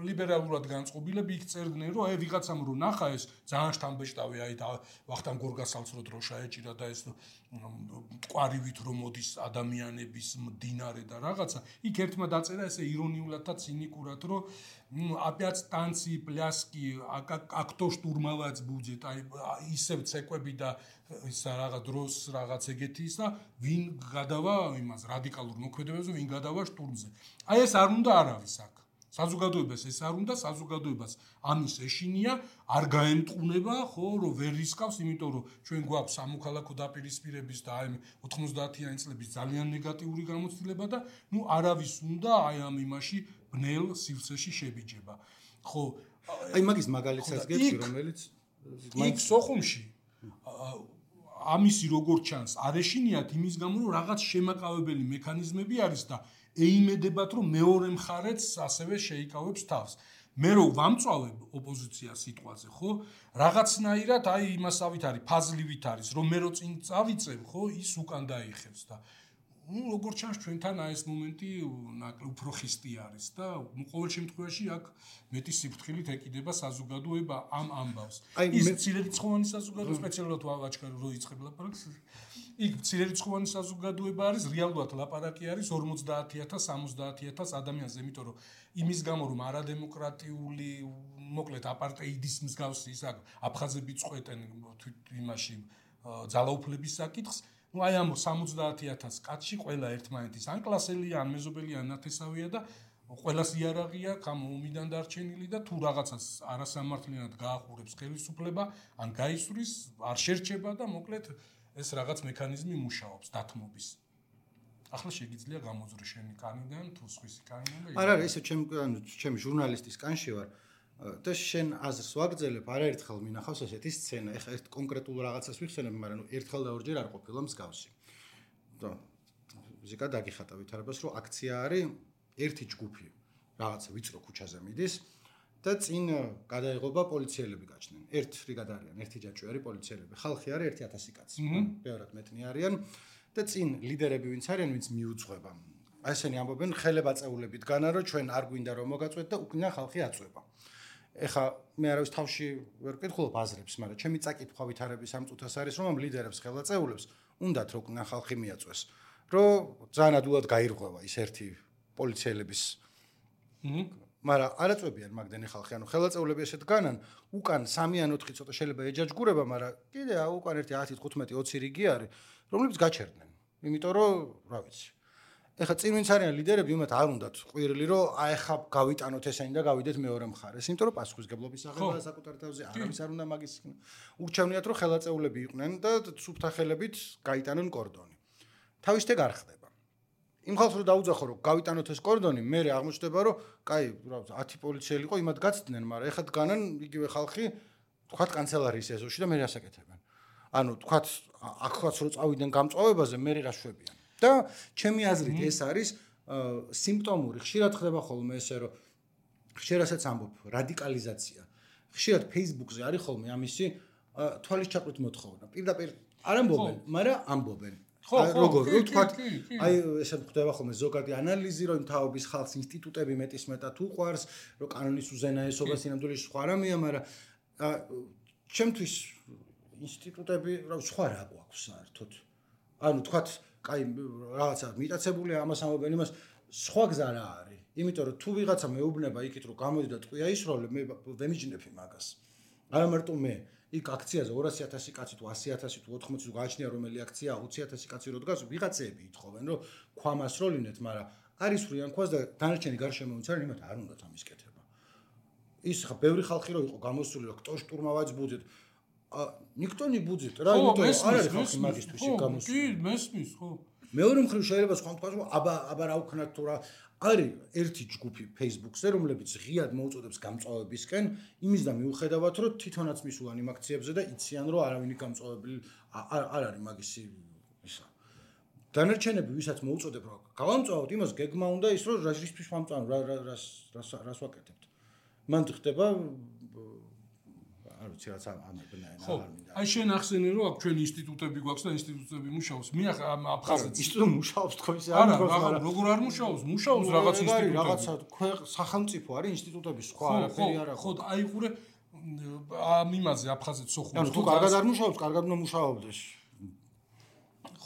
ლიბერალურად განწყობილები იქ წერდნენ რომ აი ვიღაცამ რო ნახა ეს ძალიან შთამბეჭდავი აი და ვახტანგ გორგასალს რო დროშა ეჭირა და ეს ყვარივით რომ მოდის ადამიანების მდინარე და რაღაცა იქ ერთმა დაწერა ესე ირონიულად და ცინიკურად რომ опять танцы, пляски, а кто штурмовать будет? აი ისევ ცეკვები და ის რაღაც დროს რაღაც ეგეთი ისა ვინ გადავა იმას რადიკალურ მოქმედებებზე ვინ გადავა შტურმზე. აი ეს არ უნდა არავის აქ. საზოგადოებას ეს არ უნდა, საზოგადოებას ამის ეშინია, არ გაემტყუნება, ხო, რომ ვერ რისკავს, იმიტომ რომ ჩვენ გვაქვს სამოქალაქო დაპირისპირების და აი 90-იანი წლების ძალიან ნეგატიური გამოცდილება და ნუ არავის უნდა აი ამ იმაში ბნელ სივრცეში შებიჯება. ხო, აი მაგის მაგალითსაც გეტყვი, რომელიც იქ სოხუმში ამისი როგორ ჩანს, არ ეშინიათ იმის გამო, რომ რაღაც შემაყავებელი მექანიზმები არის და ეიმედებათ, რომ მეორე მხარეც ასევე შეიკავებს თავს. მე რო ვამწვავებ ოპოზიციას სიტყვაზე, ხო? რაღაცნაირად აი იმასავით არის, ფაზლივით არის, რომ მე რო წინ წავიწევ, ხო, ის უკან დაიხევს და როგორც ჩანს ჩვენთან აი ეს მომენტი უფრო ხისტი არის და ყოველ შემთხვევაში აქ მეტი სიფრთხილით ეკიდება საზოგადოება ამ ამბავს. ის მცირერიცხოვანი საზოგადოება სპეციალურად ვაჩქარ რო იწყებ ლაპარაკს. იქ მცირერიცხოვანი საზოგადოება არის, რეალურად ლაპარაკი არის 50,000, 70,000 ადამიანზე, იმიტომ რომ იმის გამო რომ არადემოკრატიული, მოკლედ აპარტეიდის მსგავსი ის აფხაზები წყვეტენ იმაში ძალაუფლების საკითხს. აი ამ 70,000 კაცში ყველა ერთმანეთის ან კლასელია, ან მეზობელია, ან ნათესავია და ყველას იარაღი აქვს ამ ომიდან დარჩენილი და თუ რაღაცას არასამართლიანად გაახურებს ხელისუფლება, ან გაისვრის, არ შერჩება და მოკლედ ეს რაღაც მექანიზმი მუშაობს დათმობის. ახლა შეგიძლია გამოძრო შენი კანიდან თუ სხვისი კანიდან და არა, ესე ჩემი ჟურნალისტის კანში ვარ და შენ აზრს ვაგრძელებ, არაერთხელ მინახავს ესეთი სცენა. ეხლა ერთ კონკრეტულ რაღაცას ვიხსენებ, მაგრამ ერთხელ და ორჯერ არ ყოფილა მსგავსი. და ზიკა დაგიხატა ვითარებას, რომ აქცია არის ერთი ჯგუფი, რაღაცა ვიწრო ქუჩაზე მიდის და წინ გადაეღობა პოლიციელები გაჩნდნენ. ერთ რიგად არიან, ერთი ჯაჭვი არის პოლიციელები. ხალხი არის 1000 კაცი. ბევრად მეტნი არიან და წინ ლიდერები ვინც არიან, ვინც მიუძღვება. ესენი ამბობენ ხელებაწეულებით განა, რომ ჩვენ არ გვინდა რომ მოგაწვეთ და უკნა ხალხი აწვება. ეხა მე არავის თავში ვერ ვკითხულობ აზრებს, მაგრამ ჩემი წაკითხვა ვითარების ამ წუთას არის, რომ ამ ლიდერებს ხელაწეულებს უნდათ რომ უკნა ხალხი მიაწვეს, რომ ძალიან ადვილად გაირღვევა ის ერთი პოლიციელების. მაგრამ არაწვებიან მაგდენი ხალხი, ანუ ხელაწეულები ესეთ განან, უკან 3 ან 4 ცოტა შეიძლება ეჯაჯგურება, მაგრამ კიდე უკან ერთი 10, 15, 20 რიგი არის, რომლებიც გაჩერდნენ. იმიტომ რომ, რა ვიცი. ეხლა წინ ვინც არიან ლიდერები, იმათ არ უნდათ ყვირილი, რომ აი ხა გავიტანოთ ესენი და გავიდეთ მეორე მხარეს, იმიტომ რომ პასუხისგებლობის აღება საკუთარ თავზე არავის არ უნდა მაგის. ურჩევნიათ რომ ხელაწეულები იყვნენ და სუფთა ხელებით გაიტანენ კორდონი. თავისთე არ ხდება. იმ ხალხს რომ დაუძახო რომ გავიტანოთ ეს კორდონი, მე აღმოჩნდება რომ კაი, რა ვიცი, 10 პოლიციელი იყო, იმათ გაცდნენ, მაგრამ ეხლა დგანან იგივე ხალხი, თქვათ კანცელარიის ეზოში და მე რასაკეთებენ. ანუ თქვათ აქაც რომ წავიდნენ გამწვავებაზე, მე რა შვებიან. და ჩემი აზრით ეს არის სიმპტომური. ხშირად ხდება ხოლმე ესე რომ ხშირასაც ამბობ რადიკალიზაცია. ხშირად Facebook-ზე არის ხოლმე ამისი თვალის ჩაყრით მოთხოვნა. პირდაპირ არ ამბობენ, მაგრამ ამბობენ. როგორ ვთქვათ, აი ესე ხდება ხოლმე ზოგადი ანალიზი, რომ თაობის ხალხს ინსტიტუტები მეტისმეტად უყვარს, რომ კანონის უზენაესობა სინამდვილეში სხვა რამეა, მაგრამ ჩემთვის ინსტიტუტები რა სხვა რა გვაქვს საერთოდ. ანუ თქვათ აი რაღაცა მიტაცებულია ამას ამბობენ იმას სხვა გზა რა არის. იმიტომ რომ თუ ვიღაცა მეუბნება იქით რომ გამოდი და ტყვია ისროლე, მე ვემიჯნებ მაგას. არა მარტო მე, იქ აქციაზე 200,000 კაცი თუ 100,000 თუ 80 თუ გააჩნია რომელი აქცია 20,000 კაცი რო დგას, ვიღაცები ითხოვენ რომ ქვამ ასროლინეთ, მაგრამ არის ვრიან ქვას და დანარჩენი გარშემო ვინც არის, იმათ არ უნდათ ამის კეთება. ის ხა ბევრი ხალხი რო იყო გამოსული რომ ktoś штурмовать будет. Никто не будет. რა იმიტომ არ არის ხალხი მაგისტვის შემოსული. კი, მესმის, ხო. მეორე მხრივ შეიძლება სხვა თქვა რომ აბა რა უქნათ თუ რა არის ერთი ჯგუფი Facebook-ზე, რომლებიც ღიად მოუწოდებს გამწვავებისკენ, იმის და მიუხედავად რომ თვითონაც მისულან იმ აქციებზე და იციან რომ არავინი გამწვავებელი არ არის მაგისი ისა. დანარჩენები ვისაც მოუწოდებ რომ გავამწვავოთ, იმას გეგმა უნდა ის რომ რაშისთვის ვამწვავ, რას ვაკეთებთ. მან ხდება არ ვიცი რაც ამებნაირ არ მინდა. აი შენ ახსენე რომ აქ ჩვენ ინსტიტუტები გვაქვს და ინსტიტუტები მუშაობს. მე ახ აფხაზეთში ინსტიტუტი მუშაობს თქო ისე არ მუშაობს, მაგრამ როგორ არ მუშაობს? მუშაობს რაღაც ინსტიტუტები. რაღაცა სახელმწიფო არის ინსტიტუტები, სხვა არაფერი არ აქვს. ხო, აიყურე ამ იმაზე აფხაზეთ სოხუმში. ანუ თუ კარგად არ მუშაობს, კარგად უნდა მუშაობდეს.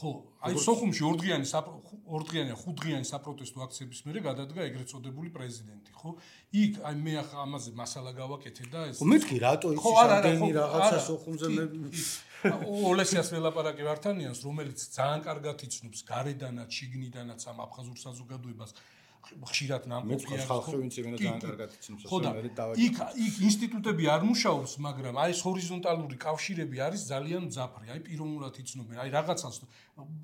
ხო, აი სოხუმში ორდღიანი, ხუთდღიანი საპროტესტო აქციების მერე გადადგა ეგრეთ წოდებული პრეზიდენტი, ხო? იქ აი მე ახლა ამაზე მასალა გავაკეთე და ეს მეთქი რატო იცი რამდენი რაღაცა სოხუმზე მე ოლესიას ველაპარაკე ვართანიანს, რომელიც ძალიან კარგად იცნობს გარედანაც, შიგნიდანაც ამ აფხაზურ საზოგადოებას. ხშირად ნამყოფი არის. ხალხი ვინც იმენა ძალიან კარგად იცნობს, მე იქ ინსტიტუტები არ მუშაობს, მაგრამ აი ეს ჰორიზონტალური კავშირები არის ძალიან მძაფრი. აი პიროვნულად იცნობენ, აი რაღაცას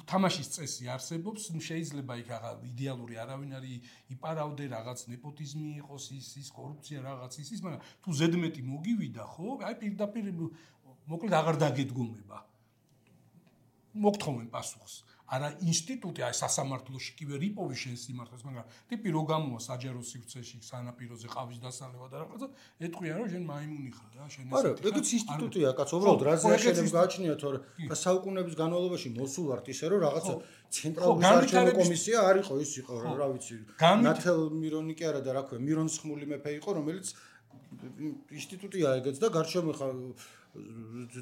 თამაშის წესი არსებობს, შეიძლება იქ იდეალური არავინ არის იპარავდე, რაღაც ნეპოტიზმი იყოს, ის კორუფცია რაღაც ის, მაგრამ თუ ზედმეტი მოგივიდა, ხო? აი პირდაპირ მოკლედ აღარ დაგედგომება. მოგთხოვენ პასუხს. არა ინსტიტუტი, აი სასამართლოში კი ვერ იპოვი შენ სიმართლეს, მაგრამ ტიპი რო გამოვა საჯარო სივრცეში, სანაპიროზე ყავის დასალევა და რაღაცა, ეთქვია რომ შენ მაიმუნი ხარ რა, შენ არა, ეგეც ინსტიტუტია, კაც, უბრალოდ რაზე შეიძლება გააჩნია, თორე საუკუნეების განმავლობაში მოსულ ვართ ისე რომ რაღაცა ცენტრალური საარჩევნო კომისია არ იყო, ის იყო რა ვიცი. ნათელ მირონი კი არა და რა ქვია, მირონის ხმული მეფე იყო, რომელიც ინსტიტუტია ეგეც და გარშემო ხა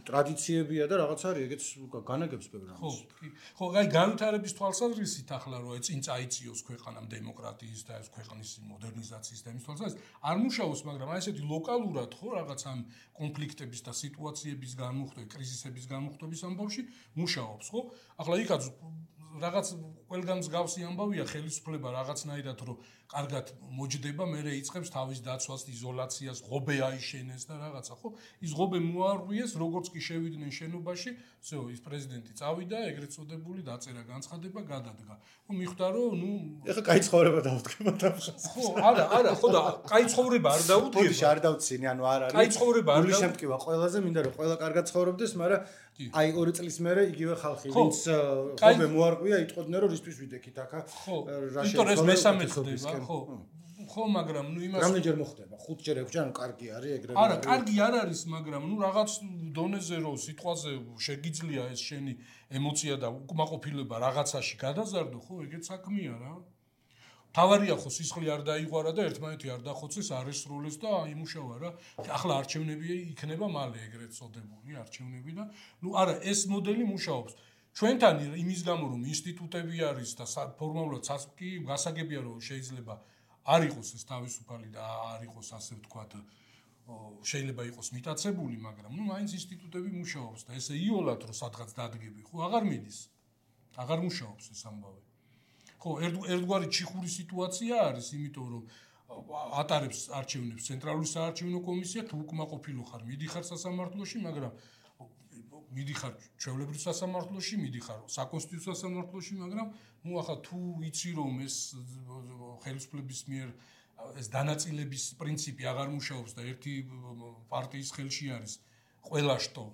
ტრადიციებია და რაღაც არის ეგეც განაგებს პროგრამას. ხო, აი განვითარების თვალსაზრისით ახლა რო წინ წაიწიოს ქვეყანამ დემოკრატიის და ეს ქვეყნის მოდერნიზაციის და იმის თვალსაზრისით არ მუშაობს, მაგრამ აი ესეთი ლოკალურად ხო რაღაც ამ კონფლიქტების და სიტუაციების განმუხტვი, კრიზისების განმუხტვის ამბავში მუშაობს, ხო? ახლა იქაც რაღაც ყველგან მსგავსი ამბავია ხელისუფლება რაღაცნაირად რომ კარგად მოჯდება, მერე იწყებს თავის დაცვას, იზოლაციას, ღობე აიშენეს და რაღაცა, ხო? ის ღობე მოარღვიეს, როგორც კი შევიდნენ შენობაში, всё, ის პრეზიდენტი წავიდა, ეგრეთ წოდებული დაწერა განცხადება, გადადგა. ხო, მიხვდა რომ, ნუ, ეხლა კაი ცხოვრება დაუდგება თავშას. ხო, არა, ხო და კაი ცხოვრება არ დაუდგება. ბოდიში არ დავცინი, ანუ არ არის. კაი ცხოვრება არ დაუდგება. შემტკივა ყველაზე, მინდა რომ ყველა კარგად ცხოვრობდეს, მაგრამ აი 2 წლის მერე იგივე ხალხი, ვინც ღობე მოარღვია, იტყოდნენ რომ ისთვის ვიდექით აქა. რა შეიძლება ეს მესამე ხდება, ხო. ხო, მაგრამ ნუ იმას რამდენჯერ მოხდება? 5ჯერ 6ჯერ, ანუ კარგი არის ეგრევე. არა, კარგი არ არის, მაგრამ ნუ რაღაც დონეზე რომ სიტყვაზე შეგიძლია ეს შენი ემოცია და უკმაყოფილება რაღაცაში გადაზარდო, ხო, ეგეც საქმეა რა. თავარია ხო სისხლი არ დაიღვარა და ერთმანეთი არ დახოცეს, არ ესრულეს და იმუშავა რა. ახლა არჩევნები იქნება მალე ეგრეთ წოდებული არჩევნები და ნუ არა, ეს მოდელი მუშაობს. ჩვენთან იმის გამო რომ ინსტიტუტები არის და ფორმალურად კი გასაგებია რომ შეიძლება არ იყოს ეს თავისუფალი და არ იყოს ასე ვთქვათ შეიძლება იყოს მიტაცებული, მაგრამ ნუ მაინც ინსტიტუტები მუშაობს და ესე იოლად რომ სადღაც დადგები, ხო, აღარ მიდის. აღარ მუშაობს ეს ამბავი. ხო, ერთგვარი ჩიხური სიტუაცია არის, იმიტომ რომ ატარებს არჩევნებს ცენტრალური საარჩევნო კომისია, თუ უკმაყოფილო ხარ, მიდიხარ სასამართლოში, მაგრამ მიდიხარ ჩვეულებრივ სასამართლოში, მიდიხარ საკონსტიტუციო სასამართლოში, მაგრამ ნუ ახლა თუ იცი რომ ეს ხელისუფლების მიერ ეს დანაწილების პრინციპი აღარ მუშაობს და ერთი პარტიის ხელში არის ყველა შტო,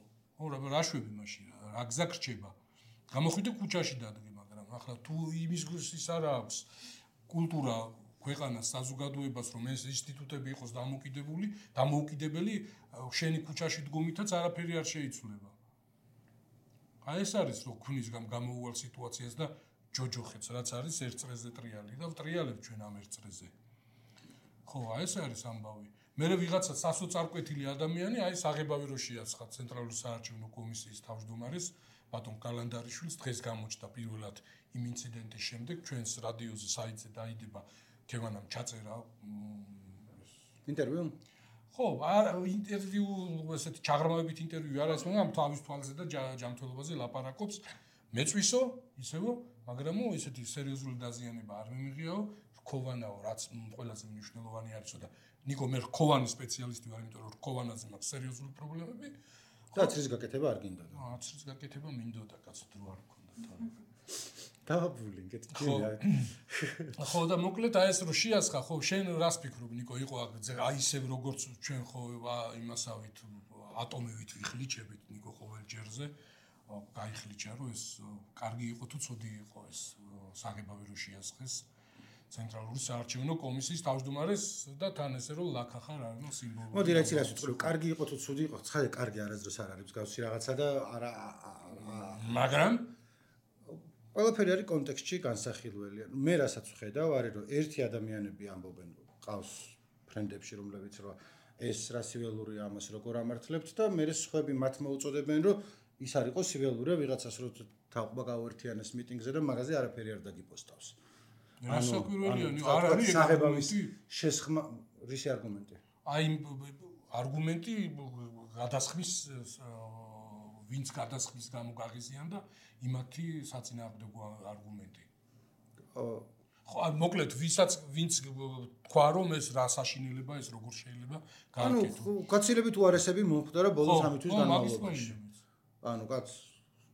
ხო, რა შვები მაშინ, რა გზა გრჩება. გამოხვიდე ქუჩაში დადგე, მაგრამ ახლა თუ იმის ის არ აქვს კულტურა ქვეყანას საზოგადოებას რომ ეს ინსტიტუტები იყოს დამოუკიდებელი, შენი ქუჩაში დგომითაც არაფერი არ შეიცვლება. აი ეს არის რომ ქმნის გამოუვალ სიტუაციას და ჯოჯოხეთს რაც არის ერთ წრეზე ტრიალი და ვტრიალებ ჩვენ ამ ერთ წრეზე. ხო, აი ეს არის ამბავი. მერე ვიღაცა სასოწარკვეთილი ადამიანი, აი საღებავი რო შეაცხა ცენტრალური საარჩევნო კომისიის თავმჯდომარეს ბატონ კალანდარიშვილს დღეს გამოჩნდა პირველად იმ ინციდენტის შემდეგ ჩვენს რადიოზე საიტზე დაიდება თემანამ ჩაწერა ინტერვიუ. ხო, ინტერვიუ ესეთი ჩაღრმავებით ინტერვიუ არა ეს, მაგრამ თავის თვალზე და ჯანმრთელობაზე ლაპარაკობს. მეწვისო, ისევო, მაგრამ ესეთი სერიოზული დაზიანება არ მიმიღიაო, რქოვანაო, რაც ყველაზე მნიშვნელოვანი არისო და ნიკო მე რქოვანი სპეციალისტი ვარ, იმიტომ რომ რქოვანაზე მაქვს სერიოზული პრობლემები. და ცრის გაკეთება არ გინდოდა. ცრის გაკეთება მინდოდა, კაცო, დრო არ მქონდა თავი. დავაბული, გეტყვია. ხო და მოკლედ აი ეს რო შეასხა, ხო, შენ რას ფიქრობ, ნიკო, იყო აი ისევ როგორც ჩვენ ხო იმასავით ატომივით ვიხლიჩებით, ნიკო, ყოველ ჯერზე. გაიხლიჩა რომ ეს კარგი იყო თუ ცუდი იყო ეს საღებავი რო შეასხეს ცენტრალური საარჩევნო კომისიის თავმჯდომარეს და თან ესე რომ ლაქახარ არის სიმბოლო. მოდი რა იცი ვთქვი, კარგი იყო თუ ცუდი იყო, ცხადე კარგი არასდროს არ არის მსგავსი რაღაცა და არა მაგრამ ყველაფერი არის კონტექსტში განსახილველი. მე რასაც ვხედავ არის რომ ერთი ადამიანები ამბობენ რომ ყავს ფრენდებში რომლებიც რომ ეს რა სიველურია ამას როგორ ამართლებთ და მე სხვები მათ მოუწოდებენ რომ ის არ იყოს სიველურია ვიღაცას რო თავყობა გაუერთიანეს მიტინგზე და მაგაზე არაფერი არ დაგიპოსტავს. რასაკვირველიანი არ არის საღებავის შესხმა რისი არგუმენტი? აი არგუმენტი გადასხმის ვინც გადასხმის გამო გაღიზიან და იმათი საწინააღმდეგო არგუმენტი. ხო, მოკლედ ვინც თქვა რომ ეს რა საშინელება ეს როგორ შეიძლება გააკეთო. ანუ გაცილებით უარესები მომხდარა ბოლო 3 თვის განმავლობაში. ანუ კაც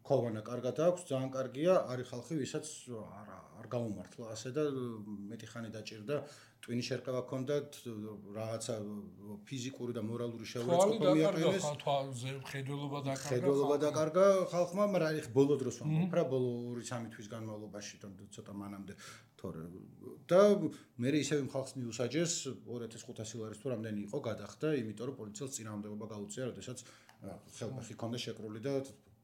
ქოვანა კარგად აქვს, ძალიან კარგია, არის ხალხი, ვისაც არ გამომართლა ასე და მეტი ხანი დაჭირდა, ტვინის შერყევა ჰქონდათ, რაღაცა ფიზიკური და მორალური შეურაცხყოფა მიაყენეს. ხედველობა დაკარგა ხალხმა, მაგრამ აი ბოლო დროს ვამბობ რა, ბოლო 2-3 თვის განმავლობაში ცოტა მანამდე თორე და მე ისევ იმ ხალხს მიუსაჯეს 2500 ლარის თუ რამდენი იყო გადახდა, იმიტომ რომ პოლიციელს წინააღმდეგობა გაუწია, როდესაც ხელფეხი ჰქონდა შეკრული და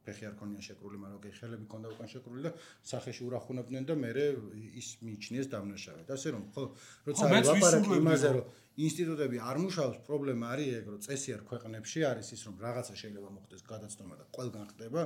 ფეხი არ ქონია შეკრული, მაგრამ ხელები ჰქონდა უკან შეკრული და სახეში ურახუნებდნენ და მე ის მიიჩნიეს დამნაშავედ. ასე რომ ხო, როცა ლაპარაკი იმაზე რომ ინსტიტუტები არ მუშაობს, პრობლემა არის ეგ, რომ წესიერ ქვეყნებში არის ის, რომ რაღაცა შეიძლება მოხდეს გადაცნობა და ყველგან ხდება,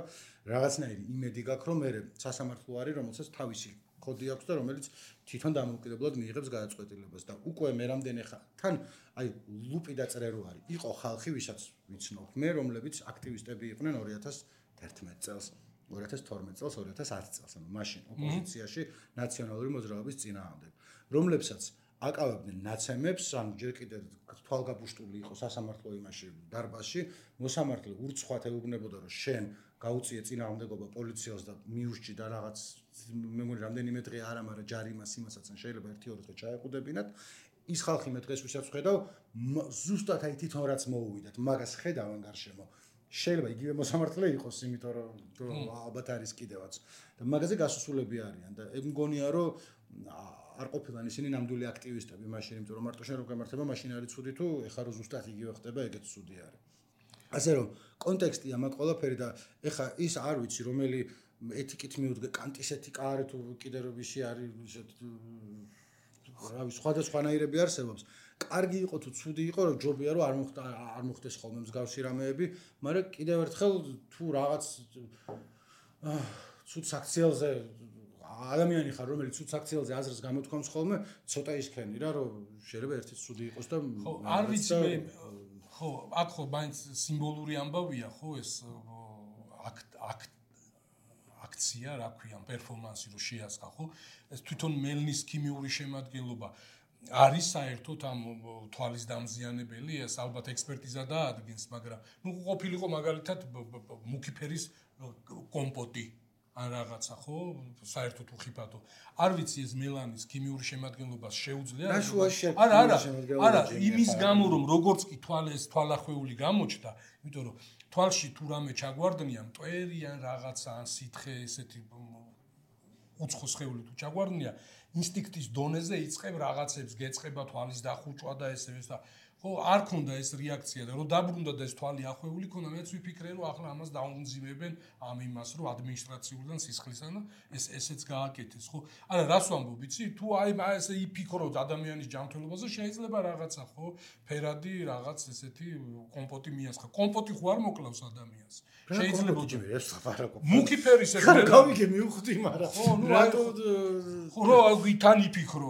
რაღაცნაირი იმედი გაქვს, რომ მე სასამართლო არის, რომელსაც თავისი კოდი აქვს და რომელიც თვითონ დამოუკიდებლად მიიღებს გადაწყვეტილებას და უკვე მე რამდენი თან აი ლუპი დაწერო არის. იყო ხალხი, ვისაც ვიცნობ მე, რომლებიც აქტივისტები იყვნენ 2011 წელს, 2012 წელს, 2010 წელს, ანუ მაშინ ოპოზიციაში ნაციონალური მოძრაობის წინააღმდეგ, რომლებსაც აკავებდნენ ნაცემებს, ანუ ჯერ კიდევ თვალგაბუშტული იყო სასამართლო იმაში დარბაზში, მოსამართლე ურცხვად ეუბნებოდა, რომ შენ გაუწიე წინააღმდეგობა პოლიციას და მიურჩი და რაღაც მე მგონი რამდენიმე დღე არა, მაგრამ ჯარიმას იმასაც შეიძლება 1-2 დღე ჩაეყუდებინათ. ის ხალხი მე დღეს ვისაც ხედავ, ზუსტად აი თვითონ რაც მოუვიდათ, მაგას ხედავენ გარშემო. შეიძლება იგივე მოსამართლე იყოს, იმიტომ რომ ალბათ არის კიდევაც. და მაგაზე გასასვლელები არიან და ეგ მგონია რომ არ ყოფილან ისინი ნამდვილი აქტივისტები მაშინ, იმიტომ რომ მარტო შენ რო გამართება, მაშინ არის ცუდი თუ ეხლა რო ზუსტად იგივე ხდება, ეგეც ცუდი არის. ასე რომ კონტექსტია მაგ ყველაფერი და ეხლა ის არ ვიცი რომელი ეთიკით მიუდგე კანტის ეთიკა არის თუ კიდე რო ვისი არის ისეთ რავი სხვადასხვანაირები არსებობს. კარგი იყო თუ ცუდი იყო, რომ ჯობია რომ არ მოხდეს ხოლმე მსგავსი რამეები, მაგრამ კიდევ ერთხელ თუ რაღაც ცუდ საქციელზე ადამიანი ხარ, რომელიც ცუდ საქციელზე აზრს გამოთქვამს ხოლმე, ცოტა ისქენი რა, რომ შეიძლება ერთიც ცუდი იყოს და ხო, არ ვიცი მე ხო, აქ ხო მაინც სიმბოლური ამბავია, ხო, ეს აქცია, რა ქვია, პერფორმანსი რო შეასხა, ხო? ეს თვითონ მელნის ქიმიური შემადგენლობა არის საერთოდ ამ თვალის დამზიანებელი, ეს ალბათ ექსპერტიზა დაადგენს, მაგრამ ნუ ყოფილიყო მაგალითად მუქი ფერის კომპოტი ან რაღაცა, ხო? საერთოდ უხიფათო. არ ვიცი ეს მელანის ქიმიური შემადგენლობას შეუძლია? არა, იმის გამო რომ როგორც კი თვალახვეული გამოჩნდა, იმიტომ რომ თვალში თუ რამე ჩაგვარდნია, მტვერი ან რაღაცა ან სითხე ესეთი უცხო სხეული თუ ჩაგვარდნია, ინსტინქტის დონეზე იწყებ რაღაცებს, გეწყება თვალის დახუჭვა და ესე და ხო, არ ქონდა ეს რეაქცია და რომ დაბრუნდა და ეს თვალი ახვეული ქონდა, მეც ვიფიქრე რომ ახლა ამას დაუნძიმებენ ამ იმას, რომ ადმინისტრაციულიდან სისხლისგან ესეც გააკეთეს, ხო? არა, რას ვამბობ, იცი? თუ აი ესე იფიქროთ ადამიანის ჯანმრთელობაზე, შეიძლება რაღაცა, ხო? ფერადი რაღაც ესეთი კომპოტი მიასხა. კომპოტი ხო არ მოკლავს ადამიანს. შეიძლება ეს ლაპარაკობ. მუქი ფერის ეს გავიგე მივხვდი, მაგრამ ხო, ნუ რატო ხო რა თან იფიქრო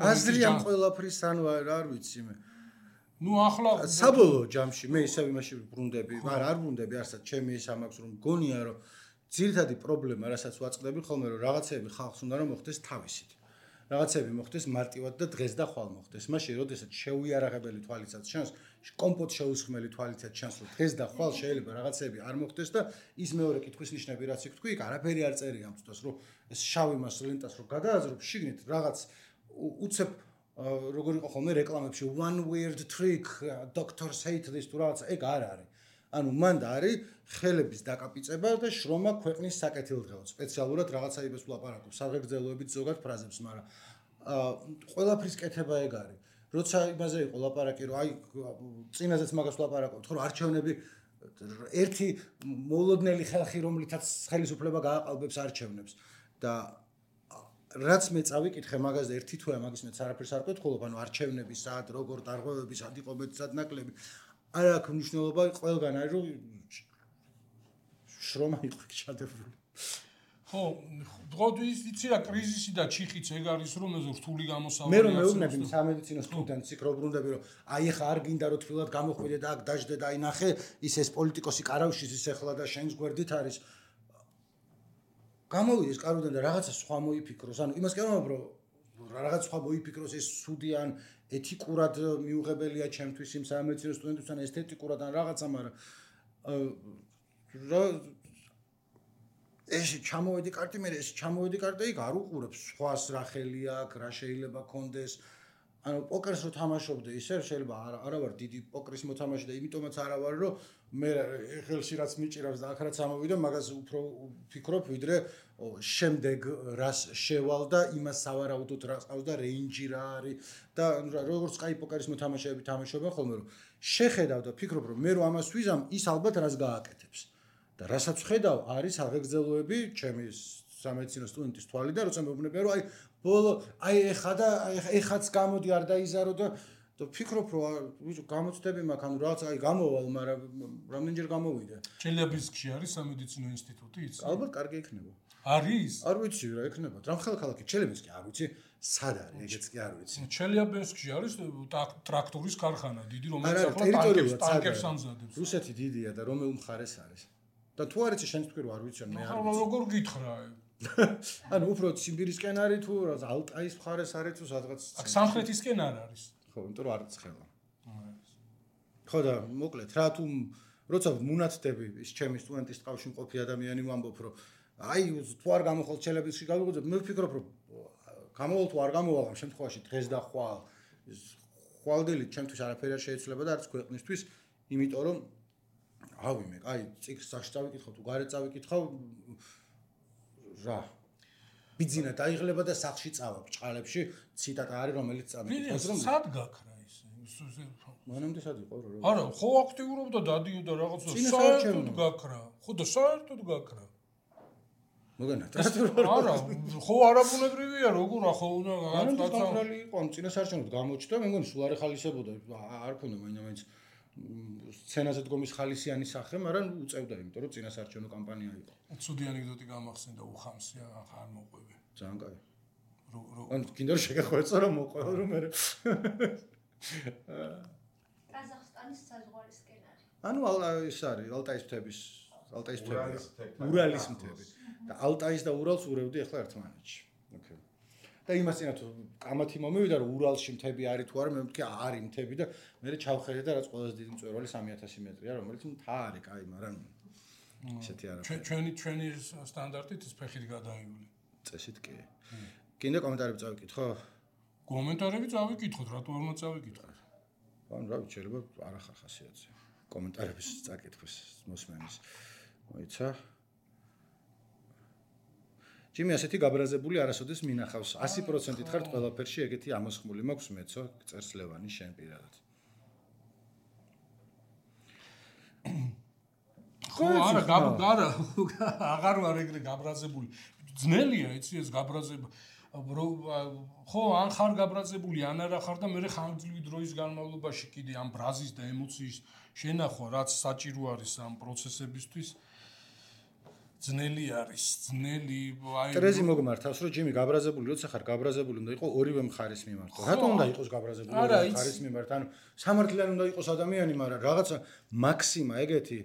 აზრიან ყველაფრის ანუ არ ვიცი მე. ნუ ახლა საბოლოო ჯამში მე ისევ იმაში ბრუნდები, არ ბრუნდები, არცად ჩემი ის ამაქვს რომ გონია რომ ძირითადი პრობლემა, რასაც ვაწყდები ხოლმე რომ რაღაცები ხალხს უნდა რომ მოხდეს თავისით. რაღაცები მოხდეს მარტივად და დღეს და ხვალ მოხდეს. მაშინ როდესაც შეუიარაღებელი თვალიცაც ჩანს, კომპოტ შეუსხმელი თვალიცაც ჩანს, რომ დღეს და ხვალ შეიძლება რაღაცები არ მოხდეს და ის მეორე კითხვის ნიშნები რაც იქ თქვი, იქ არაფერი არ წერია ამ თვითონ, რომ ეს შავი მას ლენტას რო გადააზრობ, შიგნით რაღაც უცებ როგორ იყო ხოლმე რეკლამებში one weird trick, doctors hate this თუ რაღაც ეგ არ არის. ანუ მანდა არის ხელების დაკაპიწება და შრომა ქვეყნის საკეთილდღეოდ. სპეციალურად რაღაცაებს ვლაპარაკობ, საღებრძელოებით ზოგად ფრაზებს, მაგრამ ყველაფრის კეთება ეგ არის. როცა იმაზე იყო ლაპარაკი, რომ აი წინაზეც მაგას ვლაპარაკობთ, რომ არჩევნები ერთი მოულოდნელი ხალხი, რომლითაც ხელისუფლება გააყალბებს არჩევნებს და რაც მე წავიკითხე მაგაზე ერთი თვეა მაგის მეც არაფერს არ კვეთქოლობ, ანუ არჩევნები სად, როგორ დარღვევები, სად იყო მეტად ნაკლები. არ აქვს მნიშვნელობა ყველგან არის რომ შრომა იყო ჩადებული. ხო, დღოდის იცი რა კრიზისი და ჩიხიც ეგ არის რომ ეს რთული გამოსავალი. მე რომ მეუბნები სამედიცინო სტუდენტს იქ რო ბრუნდები რომ აი ხა არ გინდა რომ თბილად გამოხვიდე და აქ დაждდე და აი ნახე ის ეს პოლიტიკოსი კარავშის ის ახლა და შენს გვერდით არის. გამოვიდეს კაროდან და რაღაცა სხვა მოიფიქროს, ანუ იმას კი არ ვამბობ რომ რაღაც სხვა მოიფიქროს ეს სუდიან ეთიკურად მიუღებელია ჩემთვის იმ სამედიცინო სტუდენტებთან ესთეტიკურად ან რაღაცა, მაგრამ ეს ჩამოვედი კარტი, მე ეს ჩამოვედი კარტი, იქ არ უყურებს სხვას რა ხელი აქვს, რა შეიძლება კონდეს. ანუ პოკერს რო თამაშობდე, ისე შეიძლება არა ვარ დიდი პოკერის მოთამაშე და იმიტომაც არა ვარ, რომ მე ხელში რაც მიჭირავს და აქ რაც ამოვიდა, მაგას უფრო ვფიქრობ, ვიდრე შემდეგ რას შევალ და იმას სავარაუდოდ რა ყავს და რეინჯი რა არის და როგორც კაი პოკერის მოთამაშეები თამაშობენ ხოლმე, რომ შეხედავ და ფიქრობ, რომ მე რო ამას ვიზამ, ის ალბათ რას გააკეთებს. და რასაც ხედავ, არის აღეგზელოები ჩემი სამედიცინო სტუდენტის თვალი და როცა მეუბნები, რომ ბოლო ეხაც გამოდი არ დაიზარო და ფიქრობ, რომ გამოცდები მაქვს, ანუ რაღაც გამოვალ, მაგრამ რამდენჯერ გამოვიდა. ჩელიაბინსკში არის სამედიცინო ინსტიტუტი, იცი? ალბათ კარგი იქნება. არის? არ ვიცი რა იქნება. რამხელა ქალაქი ჩელიაბინსკი არ ვიცი, სად არის, ეგეც კი არ ვიცი. ჩელიაბინსკში არის ტრაქტორის ქარხანა, დიდი, რომელიც ახლა ტანკერს ამზადებს. რუსეთი დიდია და რომელ მხარეს არის? და თუ არ იცი შენ თქვი, რომ არ ვიცი, მე არ ვიცი. როგორ გითხრა? ანუ უფრო ციმბირისკენ არის თუ ალტაის მხარეს არის თუ სადღაც სამხრეთისკენ არ არის. ხო, იმიტომ რომ არ ცხელა. ხო და მოკლედ რა თუ როცა მუნათდები ის ჩემი სტუდენტის ტყავში მყოფი ადამიანი ვამბობ რომ თუ არ გამოხვალ ჩელიაბინსკში გავიგოძებ, მე ვფიქრობ რომ გამოვალ თუ არ გამოვალ ამ შემთხვევაში დღეს და ხვალ ის ხვალდილი ჩემთვის არაფერი არ შეიძლება და არც ქვეყნისთვის, იმიტომ რომ ავიმე, წიგნს სახში წავიკითხავ თუ გარეთ წავიკითხავ რა ბიძინა დაიღლება და სახში წავა ბჭყალებში ციტატა არის რომელიც წამიკითხავს რომ სად გაქრა ის მანამდე სად იყო რა არა ხო აქტიურობდა დადიოდა რაღაცა საერთოდ გაქრა ხო და საერთოდ გაქრა მოგენა არა ხო არაბუნებრივია როგორ ხო რაღაცა გაქრალი იყო ამ წინასაარჩევნოდ გამოჩნდა მე მგონი სულ არ ეხალისებოდა არ ქონდა მაინც სცენაზე დგომის ხალისიანი სახე, მაგრამ უწევდა, იმიტომ რომ წინასაარჩევნო კამპანია იყო. ცუდი ანეკდოტი გამახსენდა უხამსია, არ მოყვები. ძალიან კაი. ანუ კიდევ შეგეხვეწო რომ მოყვეო რომ მე ყაზახსტანის საზღვარის სკენარი. ანუ ის არის ალტაის მთების ურალის მთები. და ალტაის და ურალს ურევდი ახლა ერთმანეთში. ოკეი. და იმას წინა თუ კამათი მომივიდა რომ ურალში მთები არის თუ არა მე ვთქვი არის მთები და მე ჩავხედე და რაც ყველაზე დიდი მწვერვალი 3000 მეტრია რომელიც მთა არის კაი მაგრამ ესეთი არა ჩვენი სტანდარტით ის ფეხით გადაიული წესით კი კიდე კომენტარები წავიკითხო კომენტარები წავიკითხოთ რატო არ უნდა წავიკითხოთ ანუ რა ვიცი შეიძლება არ ახარ ხასიათზე კომენტარების წაკითხვის მოსმენის მოიცა ჯიმი ასეთი გაბრაზებული არასოდეს მინახავს 100%-ით ხართ ყველაფერში ეგეთი ამოსხმული მაქვს მეცო წერს ლევანი შენ პირადად ხო არა აღარ ვარ ეგრე გაბრაზებული ძნელია იცი ეს გაბრაზება ხო ან ხარ გაბრაზებული ან არა ხარ და მე ხანგრძლივი დროის განმავლობაში კიდე ამ ბრაზის და ემოციის შენახვა რაც საჭირო არის ამ პროცესებისთვის ძნელი არის ძნელი ტრეზი მოგმართავს რომ ჯიმი გაბრაზებული როცა ხარ გაბრაზებული უნდა იყოს ორივე მხარის მიმართ რატომ უნდა იყოს გაბრაზებული ორივე მხარის მიმართ ანუ სამართლიანი უნდა იყოს ადამიანი მაგრამ რაღაცა მაქსიმა ეგეთი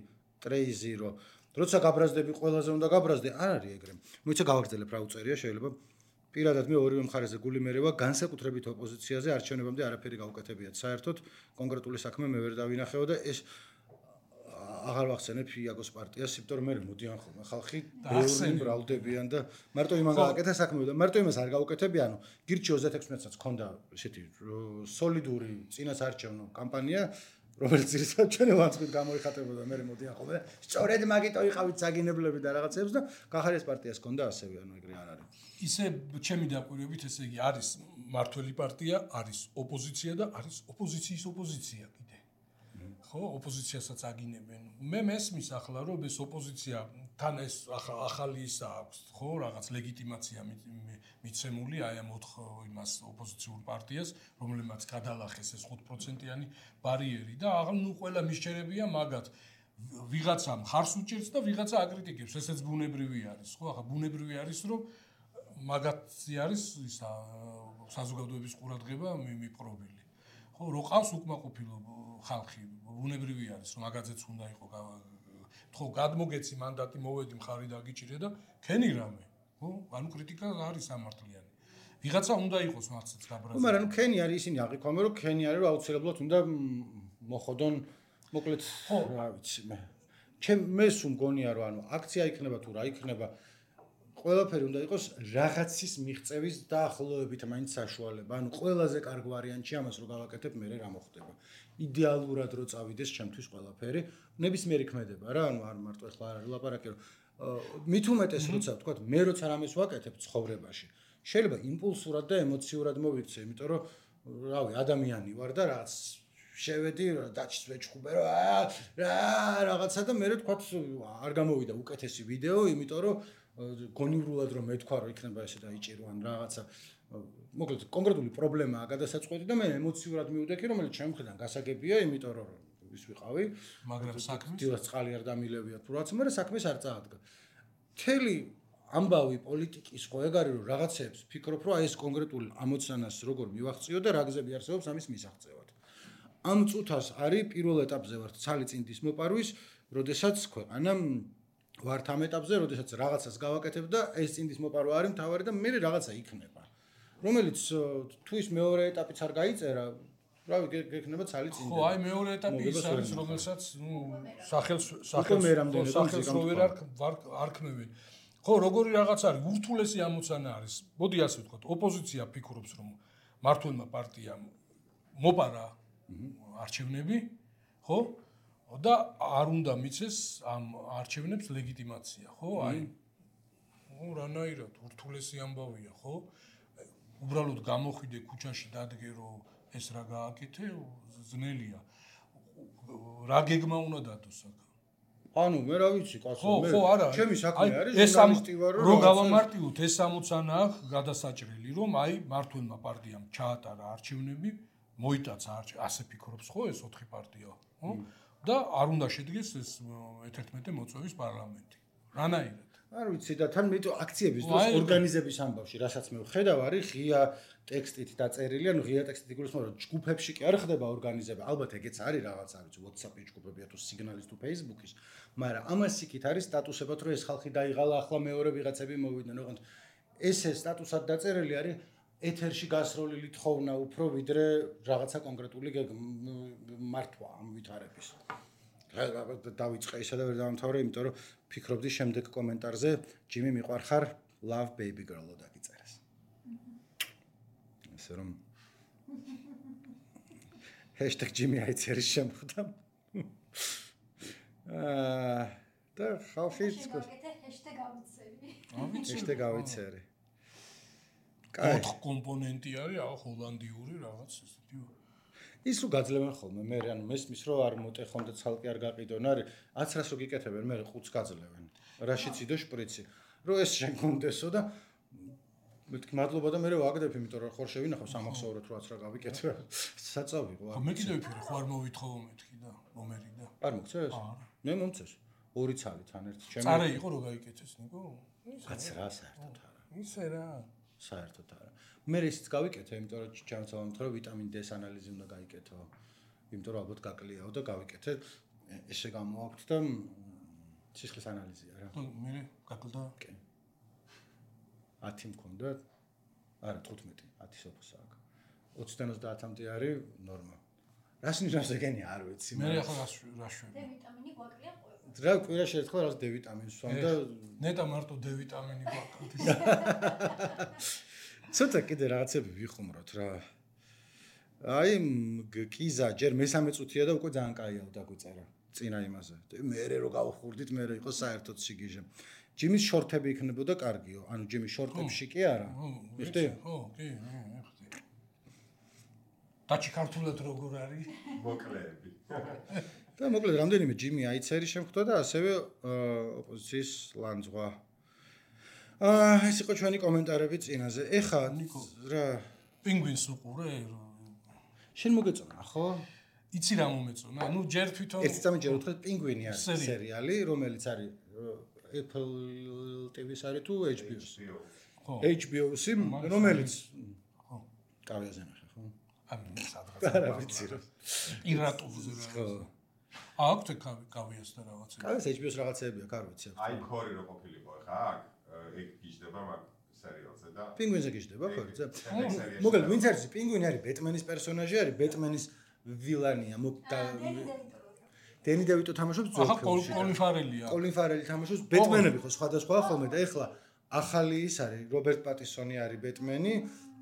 ტრეზი რომ როცა გაბრაზდები ყველაზე უნდა გაბრაზდე არ არის ეგრე მოიცა გავაგრძელებ რა უწერია შეიძლება პირადად მე ორივე მხარეზე გული მერევა განსაკუთრებით ოპოზიციაზე არჩევნებამდე არაფერი გავუკეთებიათ საერთოდ კონკრეტული საქმე მე ვერ დავინახეო და ეს აღარ ვახსენებ იაგოს პარტიას, იმიტომ რომ მე მოდიან ხოლმე ხალხი ბევრი მრავლდებიან და მარტო იმან გააკეთა საქმე და მარტო იმას არ გაუკეთებიანო. გირჩი 36-საც ქონდა ესეთი სოლიდური წინასაარჩევნო კამპანია, რომელიც ძირითადად ჩვენი ლანცხვით გამოიხატებოდა მე მოდიან ხოლმე. სწორედ მაგიტო იყავით საგინებლები და რაღაცებს და კახარის პარტიას ქონდა ასევე, ანუ ეგრე არ არის. ისე ჩემი დაკვირვებით ესე იგი არის მართველი პარტია, არის ოპოზიცია და არის ოპოზიციის ოპოზიცია კიდე. ხო, ოპოზიციასაც აგინებენ. მე მესმის ახლა რომ ეს ოპოზიცია თან ეს ახალი ისა აქვს, ხო, რაღაც ლეგიტიმაცია მიცემული აი ამ 4 იმას ოპოზიციურ პარტიას, რომელმაც გადალახეს ეს 5%-იანი ბარიერი და აღარ ნუ ყველა მისჩერებია მაგათ. ვიღაცა მხარს უჭერს და ვიღაცა აკრიტიკებს, ესეც ბუნებრივი არის, ხო, ახლა ბუნებრივი არის რომ მაგათი არის ისა საზოგადოების ყურადღება მიპყრობილი. ხო, რო ყავს უკმაყოფილო ხალხი, ბუნებრივი არის, რომ მაგაძეც უნდა იყოს. ხო, გადმოგეცი მანდატი მოვედი მხარი დაგიჭირე და ქენი რამე. ხო, ანუ კრიტიკა არის სამართლიანი. ვიღაცა უნდა იყოს მათაც გაბრაზებული. მაგრამ ნუ ქენი არის ისინი აღიქვამენ, რომ ქენი არის, რომ აუცილებლად უნდა მოხოდონ მოკლედ, რა ვიცი მე. მე სულ მგონია, რომ ანუ აქცია იქნება თუ რა იქნება ყველაფერი უნდა იყოს რაღაცის მიღწევის დაახლოებით მაინც საშუალება. ანუ ყველაზე კარგ ვარიანტში ამას რო გავაკეთებ, მე რა მოხდება. იდეალურად რო წავიდეს ჩემთვის ყველაფერი, ნებისმიერი ქმედება რა, ანუ არ მარტო ახლა არ არის ლაპარაკი, რომ მით უმეტეს როცა ვთქვა, მე როცა რამეს ვაკეთებ ცხოვრებაში, შეიძლება იმპულსურად და ემოციურად მოვიქცე, იმიტომ რომ რავი, ადამიანი ვარ და რაც შევედი დაჩს ვეჭხუბე რა რაღაცა და მე თქვა არ გამოვიდა უკეთესი ვიდეო, იმიტომ რომ გონივრულად რომ მეთქვა რომ იქნება ესე დაიჭირო ან რაღაცა მოკლედ კონკრეტული პრობლემაა გადასაწყვეტი და მე ემოციურად მივდექი რომელიც ჩემ მხრიდან გასაგებია, იმიტომ რომ ის ვიყავი, მაგრამ საქმეს დილას წყალი არ დამილებია თუ რაც, მაგრამ საქმეს არ წაადგა. მთელი ამბავი პოლიტიკის ხო ეგ არის რომ რაღაცებს ფიქრობ რომ აი ეს კონკრეტული ამოცანას როგორ მივახციო და რა გზები არსებობს ამის მისაღწევად. ამ წუთას არის პირველ ეტაპზე ვართ ცალი წინდის მოპარვის, როდესაც ქვეყანა ვართ ამ ეტაპზე, როდესაც რაღაცას გავაკეთებ და ეს წინდის მოპარვა არის მთავარი და მე რაღაცა იქნება. რომელიც თუ ის მეორე ეტაპიც არ გაიწერა, რავი, გექნება ცალი წინდი. ხო, აი მეორე ეტაპი ის არის, რომელსაც სახელს არ ქმნევენ. ხო, როგორი რაღაც არის, ურთულესი ამოცანა არის. მოდი ასე ვთქვათ, ოპოზიცია ფიქრობს, რომ მართლმა პარტიამ მოპარა არჩევნები, ხო? და არ უნდა მიცეს ამ არჩევნებს ლეგიტიმაცია, ხო? აი რანაირად ურთულესი ამბავია, ხო? უბრალოდ გამოხვიდე ქუჩაში დადგე რომ ეს რა გააკეთე, ძნელია. რა გეგმა უნდა დადოს აქ? ანუ მე რა ვიცი, კაცო, მე ჩემი საქმე არის ჟურნალისტი ვარ, რომ გავამარტივოთ ეს ამოცანა აქვს გადასაჭრელი, რომ აი მართლმა პარტიამ ჩაატარა არჩევნები, მოიტაცა ასე ფიქრობს ხო ეს 4 პარტია, ხო? და არ უნდა შედგეს ეს 11 მოწვევის პარლამენტი. რანაირად? არ ვიცი და თან მეტო აქციების დროს ორგანიზების ამბავში, რასაც მე ვხედავ, არის ღია ტექსტით დაწერილი, ანუ ღია ტექსტით იგულისხმება, რომ ჯგუფებში კი არ ხდება ორგანიზება, ალბათ ეგეც არის რაღაც, არ ვიცი, WhatsApp-ის ჯგუფებია თუ სიგნალის თუ Facebook-ის, მაგრამ ამას იქით არის სტატუსებად, რომ ეს ხალხი დაიღალა, ახლა მეორე ვიღაცები მოვიდნენ, ოღონდ ეს სტატუსად დაწერილი არის ეთერში გასროლილი თხოვნა უფრო ვიდრე რაღაცა კონკრეტული მართვა ამ ვითარების. დავიწყე ისა და ვერ დავამთავრე, იმიტომ რომ ფიქრობდი შემდეგ კომენტარზე ჯიმი მიყვარხარ love baby girl-ო დაგიწერეს. ესე რომ #ჯიმი აიწერის შემხვდა. და ხალხი #გავიცერი. კაი. 4 კომპონენტი არის, ჰოლანდიური რაღაც ესეთი. ის რო გაძლევენ ხოლმე, მე ანუ მესმის რომ არ მოტეხონ და ცალკე არ გაყიდონ, არის 1000-ს რო გიკეთებენ, მე ყუთს გაძლევენ. რაშიც იდო შპრიცი. რომ ეს შენ კონდესო და მეთქი მადლობა და მე ვაგდებ, იმიტომ რომ ხორ შევინახავ სამახსოვროთ რაც რა გავიკეთე. საწავიღო. მე კიდევ ვიფიქრე, ხო არ მოვითხოვო მეთქი და მომერი და. არ მოგწეს? მე მომწეს. 2 ცალი თან ერთ ჩემი. წარე იყო რომ გაიკეთეს, ნიკო? კაც რა საერთოდ არა. ისე რა. საერთოდ არა. მე ისიც გავიკეთე, იმიტომ რომ ჩამწავამთ რომ ვიტამინ D-ს ანალიზი უნდა გაიკეთო. იმიტომ რომ ალბათ გაკლიაო და გავიკეთე. ესე გამოაქვთ და სისხლის ანალიზია რა. მე გაკლდა? კი. 10 მქონდა? არა, 15, 10 სოფოს აქვს. 20-დან 30-მდე არის ნორმა. რას ნიშნავს ეგენი არ ვიცი. მე ახლა რა შვები? D ვიტამინი გვაკლია ყველა. რა კვირაში ერთხელ რაღაც D ვიტამინს ვსვამ და ნეტა მარტო D ვიტამინი გვაკლდეს. ცოტა კიდე რაღაცები ვიხუმროთ რა. აი კიზა ჯერ მესამე წუთია და უკვე ძალიან კაია დაგვიწერა წინა იმაზე. მე რო გავხურდით, მე რო იყო საერთოდ სიგიჟე. ჯიმის შორტები იქნებოდა კარგიო, ანუ ჯიმის შორტებში კი არა. მიხდი? ხო, კი, მიხდი. დაჩი ქართულად როგორ არის? მოკლეები. და მოკლედ რამდენიმე ჯიმი აიცერი შემხვდა და ასევე ოპოზიციის ლანძღვა. ეს იყო ჩვენი კომენტარები წინაზე. ეხა რა პინგვინს უყურე? შენ მოგეწონა, ხო? იცი რა მომეწონა? ნუ ჯერ თვითონ ერთი წამი ჯერ უთხრეთ პინგვინი არის სერიალი, რომელიც არის Apple TV-ს არის თუ HBO-ს? ხო. HBO-ს, რომელიც ხო. კავიაზე ნახე, ხო? ამი სადღაც. არა ვიცი რა. პირატულზე რა. ხო. აქვთ კავიას და რაღაცები. კავიას HBO-ს რაღაცეები აქვს, არ ვიცი. აი ქორი რო ყოფილიყო ხა აქ ეგ გიждდება მაგ სერიალზე და პინგვინზე გიждდება ხორზე. მოკლედ ვინც არის პინგვინი არის ბეტმენის პერსონაჟი, არის ბეტმენის ვილანია. დენი დევიტო თამაშობს ძველ ფილმში. კოლინ ფარელია. კოლინ ფარელი თამაშობს ბეტმენები ხო სხვადასხვა ხოლმე და ეხლა ახალი ის არის რობერტ პატისონი არის ბეტმენი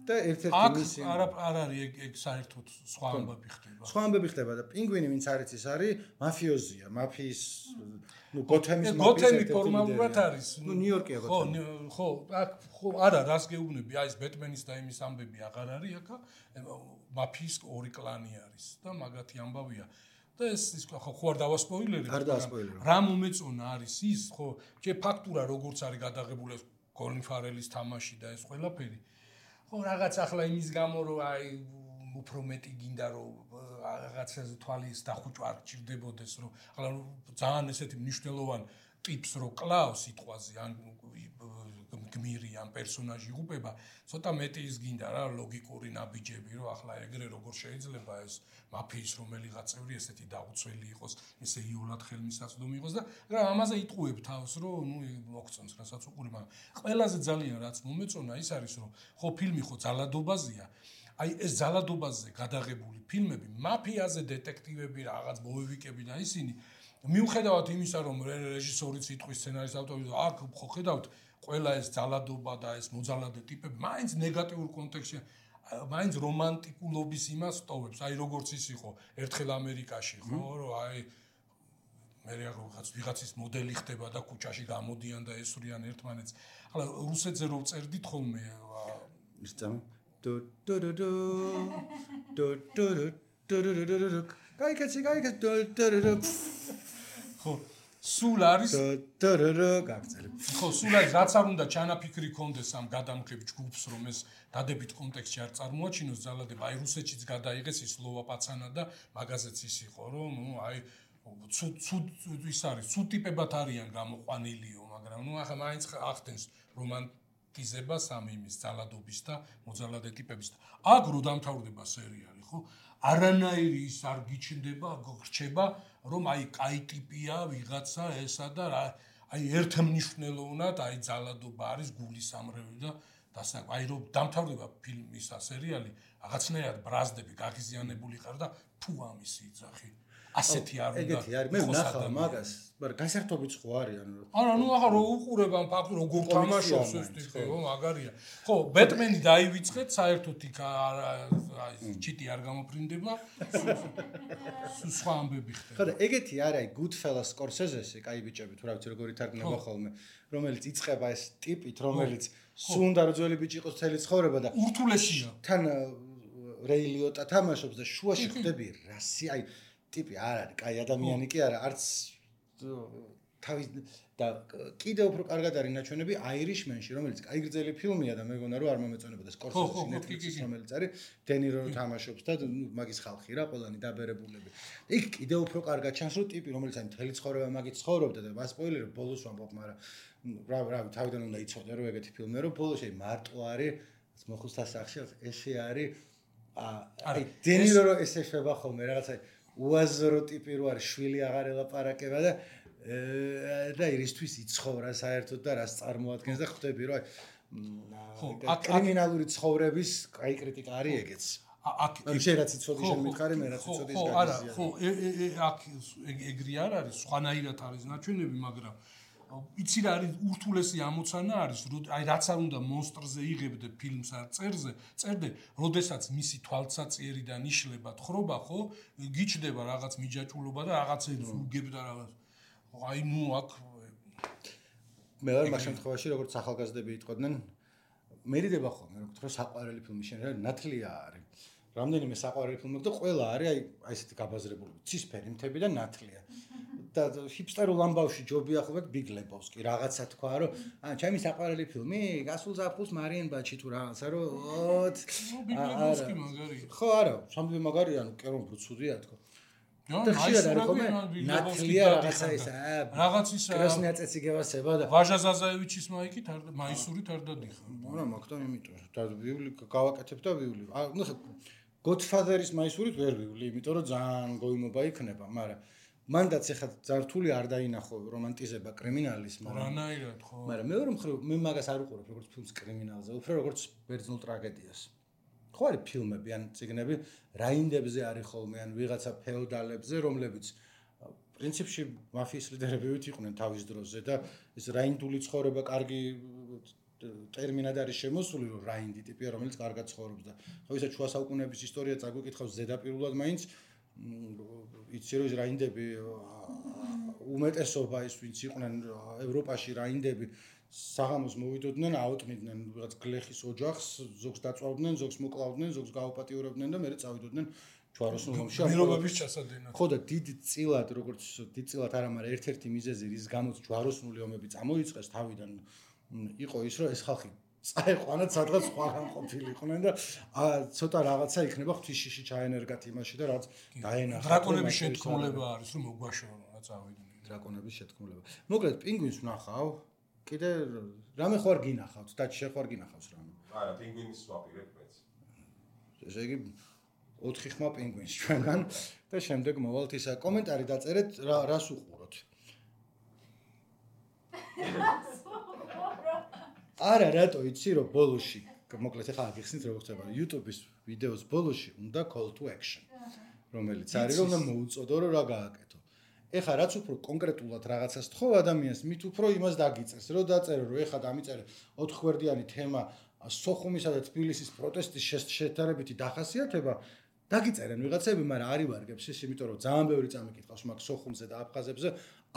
და ერთ-ერთი აქ მისი არ არის ეგ საერთოდ სხვა ამბები ხდება. სხვა ამბები ხდება და პინგვინი ვინც არის ის არის მაფიოზია, მაფიის გოთემის გოთემი ფორმალურად არის. ნიუ-იორკია გოთემი. ხო, აქ ხო არა, რას გეუბნები, აი ეს ბეტმენის და იმის ამბები აღარ არის აქ, მაფიის ორი კლანი არის და მაგათი ამბავია. და ეს ხო არ დავასპოილერებ. არ დავასპოილერებ. რა მომეწონა არის ის, ხო, ჯერ ფაქტურა როგორც არის გადაღებული კოლინ ფარელის თამაში და ეს ყველაფერი. ხო, რაღაც ახლა იმის გამო რომ აი უფრო მეტი გინდა რომ რაღაცაზე თვალის დახუჭვა არ ჭირდებოდეს რომ ახლა ძალიან ესეთი მნიშვნელოვანი ტიპს რო კლავს სიტყვაზე ან გმირი ან პერსონაჟი იღუპება ცოტა მეტი ის გინდა რა ლოგიკური ნაბიჯები რომ ახლა ეგრე როგორ შეიძლება ეს მაფიის რომელიღაც წევრი ესეთი დაუცველი იყოს ესე იოლად ხელმისაწვდომი იყოს და რა ამაზე იტყუებ თავს რომ ნუ მოგწონს რასაც უყური მაგრამ ყველაზე ძალიან რაც მომეწონა ის არის რომ ხო ფილმი ხო ძალადობაზეა აი ეს ძალადობაზე გადაღებული ფილმები მაფიაზე დეტექტივები რაღაც ბოევიკები და ისინი მიუხედავად იმისა რომ რეჟისორიც იტყვის სცენარის ავტორი აქ ხო ხედავთ ყველა ეს ძალადობა და ეს მოძალადე ტიპები მაინც ნეგატიურ კონტექსტში მაინც რომანტიკულობის იმას ტოვებს აი როგორც ის იყო ერთხელ ამერიკაში ხო რომ აი მე რაღაც ვიღაცის მოდელი ხდება და ქუჩაში გამოდიან და ესვრიან ერთმანეთს ახლა რუსეთზე რო წერდით ხოლმე ის წამი გაიქეცი ხო სულ არის გაგწელებ ხო სულ არის რაც არ უნდა ჩანაფიქრი კონდეს ამ გადამქრებ ჯგუფს რომ ეს დადებით კონტექსტში არ წარმოაჩინოს ძალადება აი რუსეთშიც გადაიღეს ის ლოვა პაცანა და მაგაზეც ის იყო რომ ნუ აი ცუდ ის არის ცუდ ტიპებად არიან გამოყვანილიო მაგრამ ნუ ახლა მაინც ახდენს რომანტიზებას ამ იმის ძალადობის და მოძალადე ტიპების და აქ რო დამთავრდება სერიალი ხო არანაირი ის არ გიჩნდება გრჩება რომ აი კაი ტიპია ვიღაცა ესა და აი ერთმნიშვნელოვნად აი ძალადობა არის გულის ამრევი და აი რომ დამთავრდება ფილმის სერიალი რაღაცნაირად ბრაზდები გაღიზიანებული ხარ და თუ ამისი იძახი ასეთი არ უნდა ეგეთი არის მე ვნახავ მაგას მაგრამ გასართობიც ხო არის ანუ არა ნუ ახლა რო უყურებ ამ ფაქტს როგორ თამაშობს ეს ტიპი ხო მაგარია ხო ბეტმენი დაივიწყეთ საერთოდ იქ აი ჩიტი არ გამოფრინდება სხვა ამბები ხდება ხო და ეგეთი არის აი Goodfellas Scorsese-ი კაი ბიჭები თუ რა ვიცი როგორ ითარგმნება ხოლმე რომელიც იწყება ეს ტიპით რომელიც სულ უნდა რომ ძველი ბიჭი იყოს მთელი ცხოვრება და ურთულესია თან რეი ლიოტა თამაშობს და შუაში ხდები რასი აი ტიპი არ არის, კაი ადამიანი კი არა, არც თავის და კიდევ უფრო კარგად არის ნაჩვენები Irishman-ში, რომელიც კაი გრძელი ფილმია და მეგონა რომ არ მომეწონებოდა Scorsese-ში Netflix-ის რომელიც არის, დენირო თამაშობს და მაგის ხალხი რა, ყველანი დაბერებულები. იქ კიდევ უფრო კარგად ჩანს რომ ტიპი რომელიც აი მთელი ცხოვრება მაგით ცხოვრობდა და მასპოილერებ ბოლოს ვამბობ, მაგრამ რა თავიდან უნდა იცოდე რომ ეგეთი ფილმია რომ ბოლოს მარტო არის მოხუცთა სახში ესე არის აი დენირო რომ ესე შეება ხოლმე რაღაცა უაზრო ტიპი რო არის შვილი აღარ ელაპარაკება და ირისთვის იცხოვრა საერთოდ და რას წარმოადგენს და ხვდები რომ აი კრიმინალური ცხოვრების კაი კრიტიკა არის ეგეც აქ შეიძლება იცოდი შენ მითხარი მე რაც იცოდი ის გაგიზია ხო აქ ეგრე არ არის სხვანაირად არის ნაჩვენები მაგრამ იცი რა არის ურთულესი ამოცანა არის აი რაც არ უნდა მონსტრზე იღებდე ფილმს არ წერდე როდესაც მისი თვალსაწიერიდან იშლება თხრობა ხო გიჩდება რაღაც მიჯაჭულობა და რაღაცებს უგებდა რაღაც აი ნუ აქ მე ვარ მაგ შემთხვევაში როგორც ახალგაზრდები იტყოდნენ მერიდება ხოლმე რომ გთხრა საყვარელი ფილმი შენ რა ნათლია არის რამდენიმე საყვარელი ფილმი და ყველა არის აი ესეთი გაბაზრებული ცისფერი მთები და ნათლია და ჰიპსტერულ ამბავში ჯობია ხოლმე ბიგ ლებოვსკი რაღაცა თქვა რომ ჩემი საყვარელი ფილმი გასულ ზაფხულს მარიენ ბაჩი თუ რაღაცა რომ ბიგ ლებოვსკი მაგარია ხო არა სამბი მაგარია ანუ კერონ ბუცუდია თქო და ხშირად არის ხოლმე ნათლია რაღაცა ის რაღაც ის კრასნია წეციგევასება და ვაჟა ზაზაევიჩის მაიკით არ მაისურით არ დადიხარ არა მაგთან იმიტომ და ვიული გავაკეთებ და ვიული ნუ Godfather-ის მაისურით ვერ ვიული იმიტომ რომ ძალიან გოიმობა იქნება მაგრამ მანდაც ეხლა ძართული არ დაინახო რომანტიზება კრიმინალის რანაირად ხო მაგრამ მეორე მხრივ მე მაგას არ უყურებ როგორც ფილმს კრიმინალზე უფრო როგორც ბერძნულ ტრაგედიას ხო არის ფილმები ან წიგნები რაინდებზე არის ხოლმე ან ვიღაცა ფეოდალებზე რომლებიც პრინციპში მაფიის ლიდერები იყვნენ თავის დროზე და ეს რაინდული ცხოვრება კარგი ტერმინად არის შემოსული რომ რაინდი ტიპია რომელიც კარგად ცხოვრობს და ხო ისა შუა საუკუნეების ისტორია წაგვიკითხავს ზედაპირულად მაინც იცი რომ ეს რაინდები უმეტესობა ის ვინც იყვნენ ევროპაში რაინდები საღამოს მოვიდოდნენ აუტნიდნენ რაღაც გლეხის ოჯახს ზოგს დაწვავდნენ ზოგს მოკლავდნენ ზოგს გაუპატიურებდნენ და მერე წავიდოდნენ ჯვაროსნულობაში მირობების ჩასადენად ხო და დიდწილად როგორც დიდწილად არა მაგრამ ერთ-ერთი მიზეზი რის გამოც ჯვაროსნული ომები წამოიწყეს თავიდან იყო ის რომ ეს ხალხი წაეყვანათ სადღაც სხვაგან ყოფილიყვნენ და ცოტა რაღაცა იქნება ღვთისშიში ჩაენერგათ იმაში და რაც დაენახათ დრაკონების შეთქმულება არის რომ მოგვაშორონ რა წავიდნენ დრაკონების შეთქმულება მოკლედ პინგვინს ვნახავ კიდე რამე ხوار გინახავთ და შეხვარ გინახავს რამე არა პინგვინის ვაპირებ მეც ესე იგი 4 ხმა პინგვინს ჩვენგან და შემდეგ მოვალთ ისა კომენტარი დაწერეთ რას უყუროთ არა რატო იცი რომ ბოლოში მოკლედ ახლა გიხსნით როგორ ხდება YouTube-ის ვიდეოს ბოლოში უნდა call to action რომელიც არის რომ მოუწოდო რომ რა გააკეთო ეხლა რაც უფრო კონკრეტულად რაღაცას თხოვ ადამიანს მით უფრო იმას დაგიწერს რომ დაწერო რომ ეხლა დამიწერე 4 გვერდიანი თემა სოხუმისა და თბილისის პროტესტის შედარებითი დახასიათება დაგიწერენ ვიღაცები მაგრამ არ ივარგებს ის იმიტომ რომ ძალიან ბევრი წამიკითხავს მაგ სოხუმზე და აფხაზებზე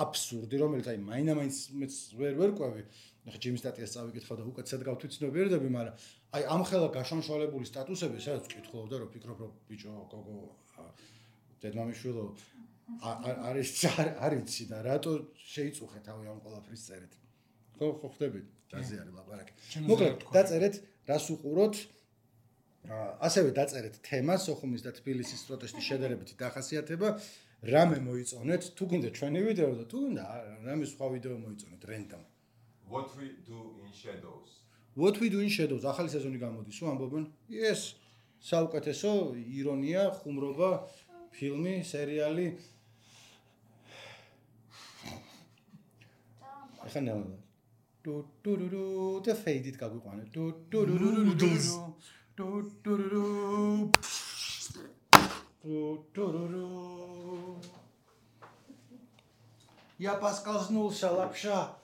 აბსურდი რომელიც აი მაინამაინც მეც ვერ ყვევი ახლა ჯიმის სტატიას წავიკითხავ და უკეთესად გავთვითცნობიერდები მაგრამ აი ამ ხელა გაშანშვალებული სტატუსები სადაც ვკითხულობ და რომ ფიქრობ რომ ბიჭო გოგო დედმამიშვილო არიცი და რატო შეიწუხე თავი ამ ყველაფრის წერეთ ხო ხდები დაზე არის ლაპარაკი მოკლედ დაწერეთ რას უყუროთ ასევე დაწერეთ თემა სოხუმის და თბილისის პროტესტის შედარებითი დახასიათება რამე მოიწონეთ თუ გინდა ჩვენი ვიდეო და თუ გინდა რამე სხვა ვიდეო მოიწონეთ რენდომ What we do in shadows What we do in shadows ახალი სეზონი გამოდის ო ამბობენ yes საუკეთესო ირონია ხუმრობა ფილმი სერიალი ახლა ნელა დუ და ფეიდით გაგვიყვანეთ დუ Я Паскал знул шалапша.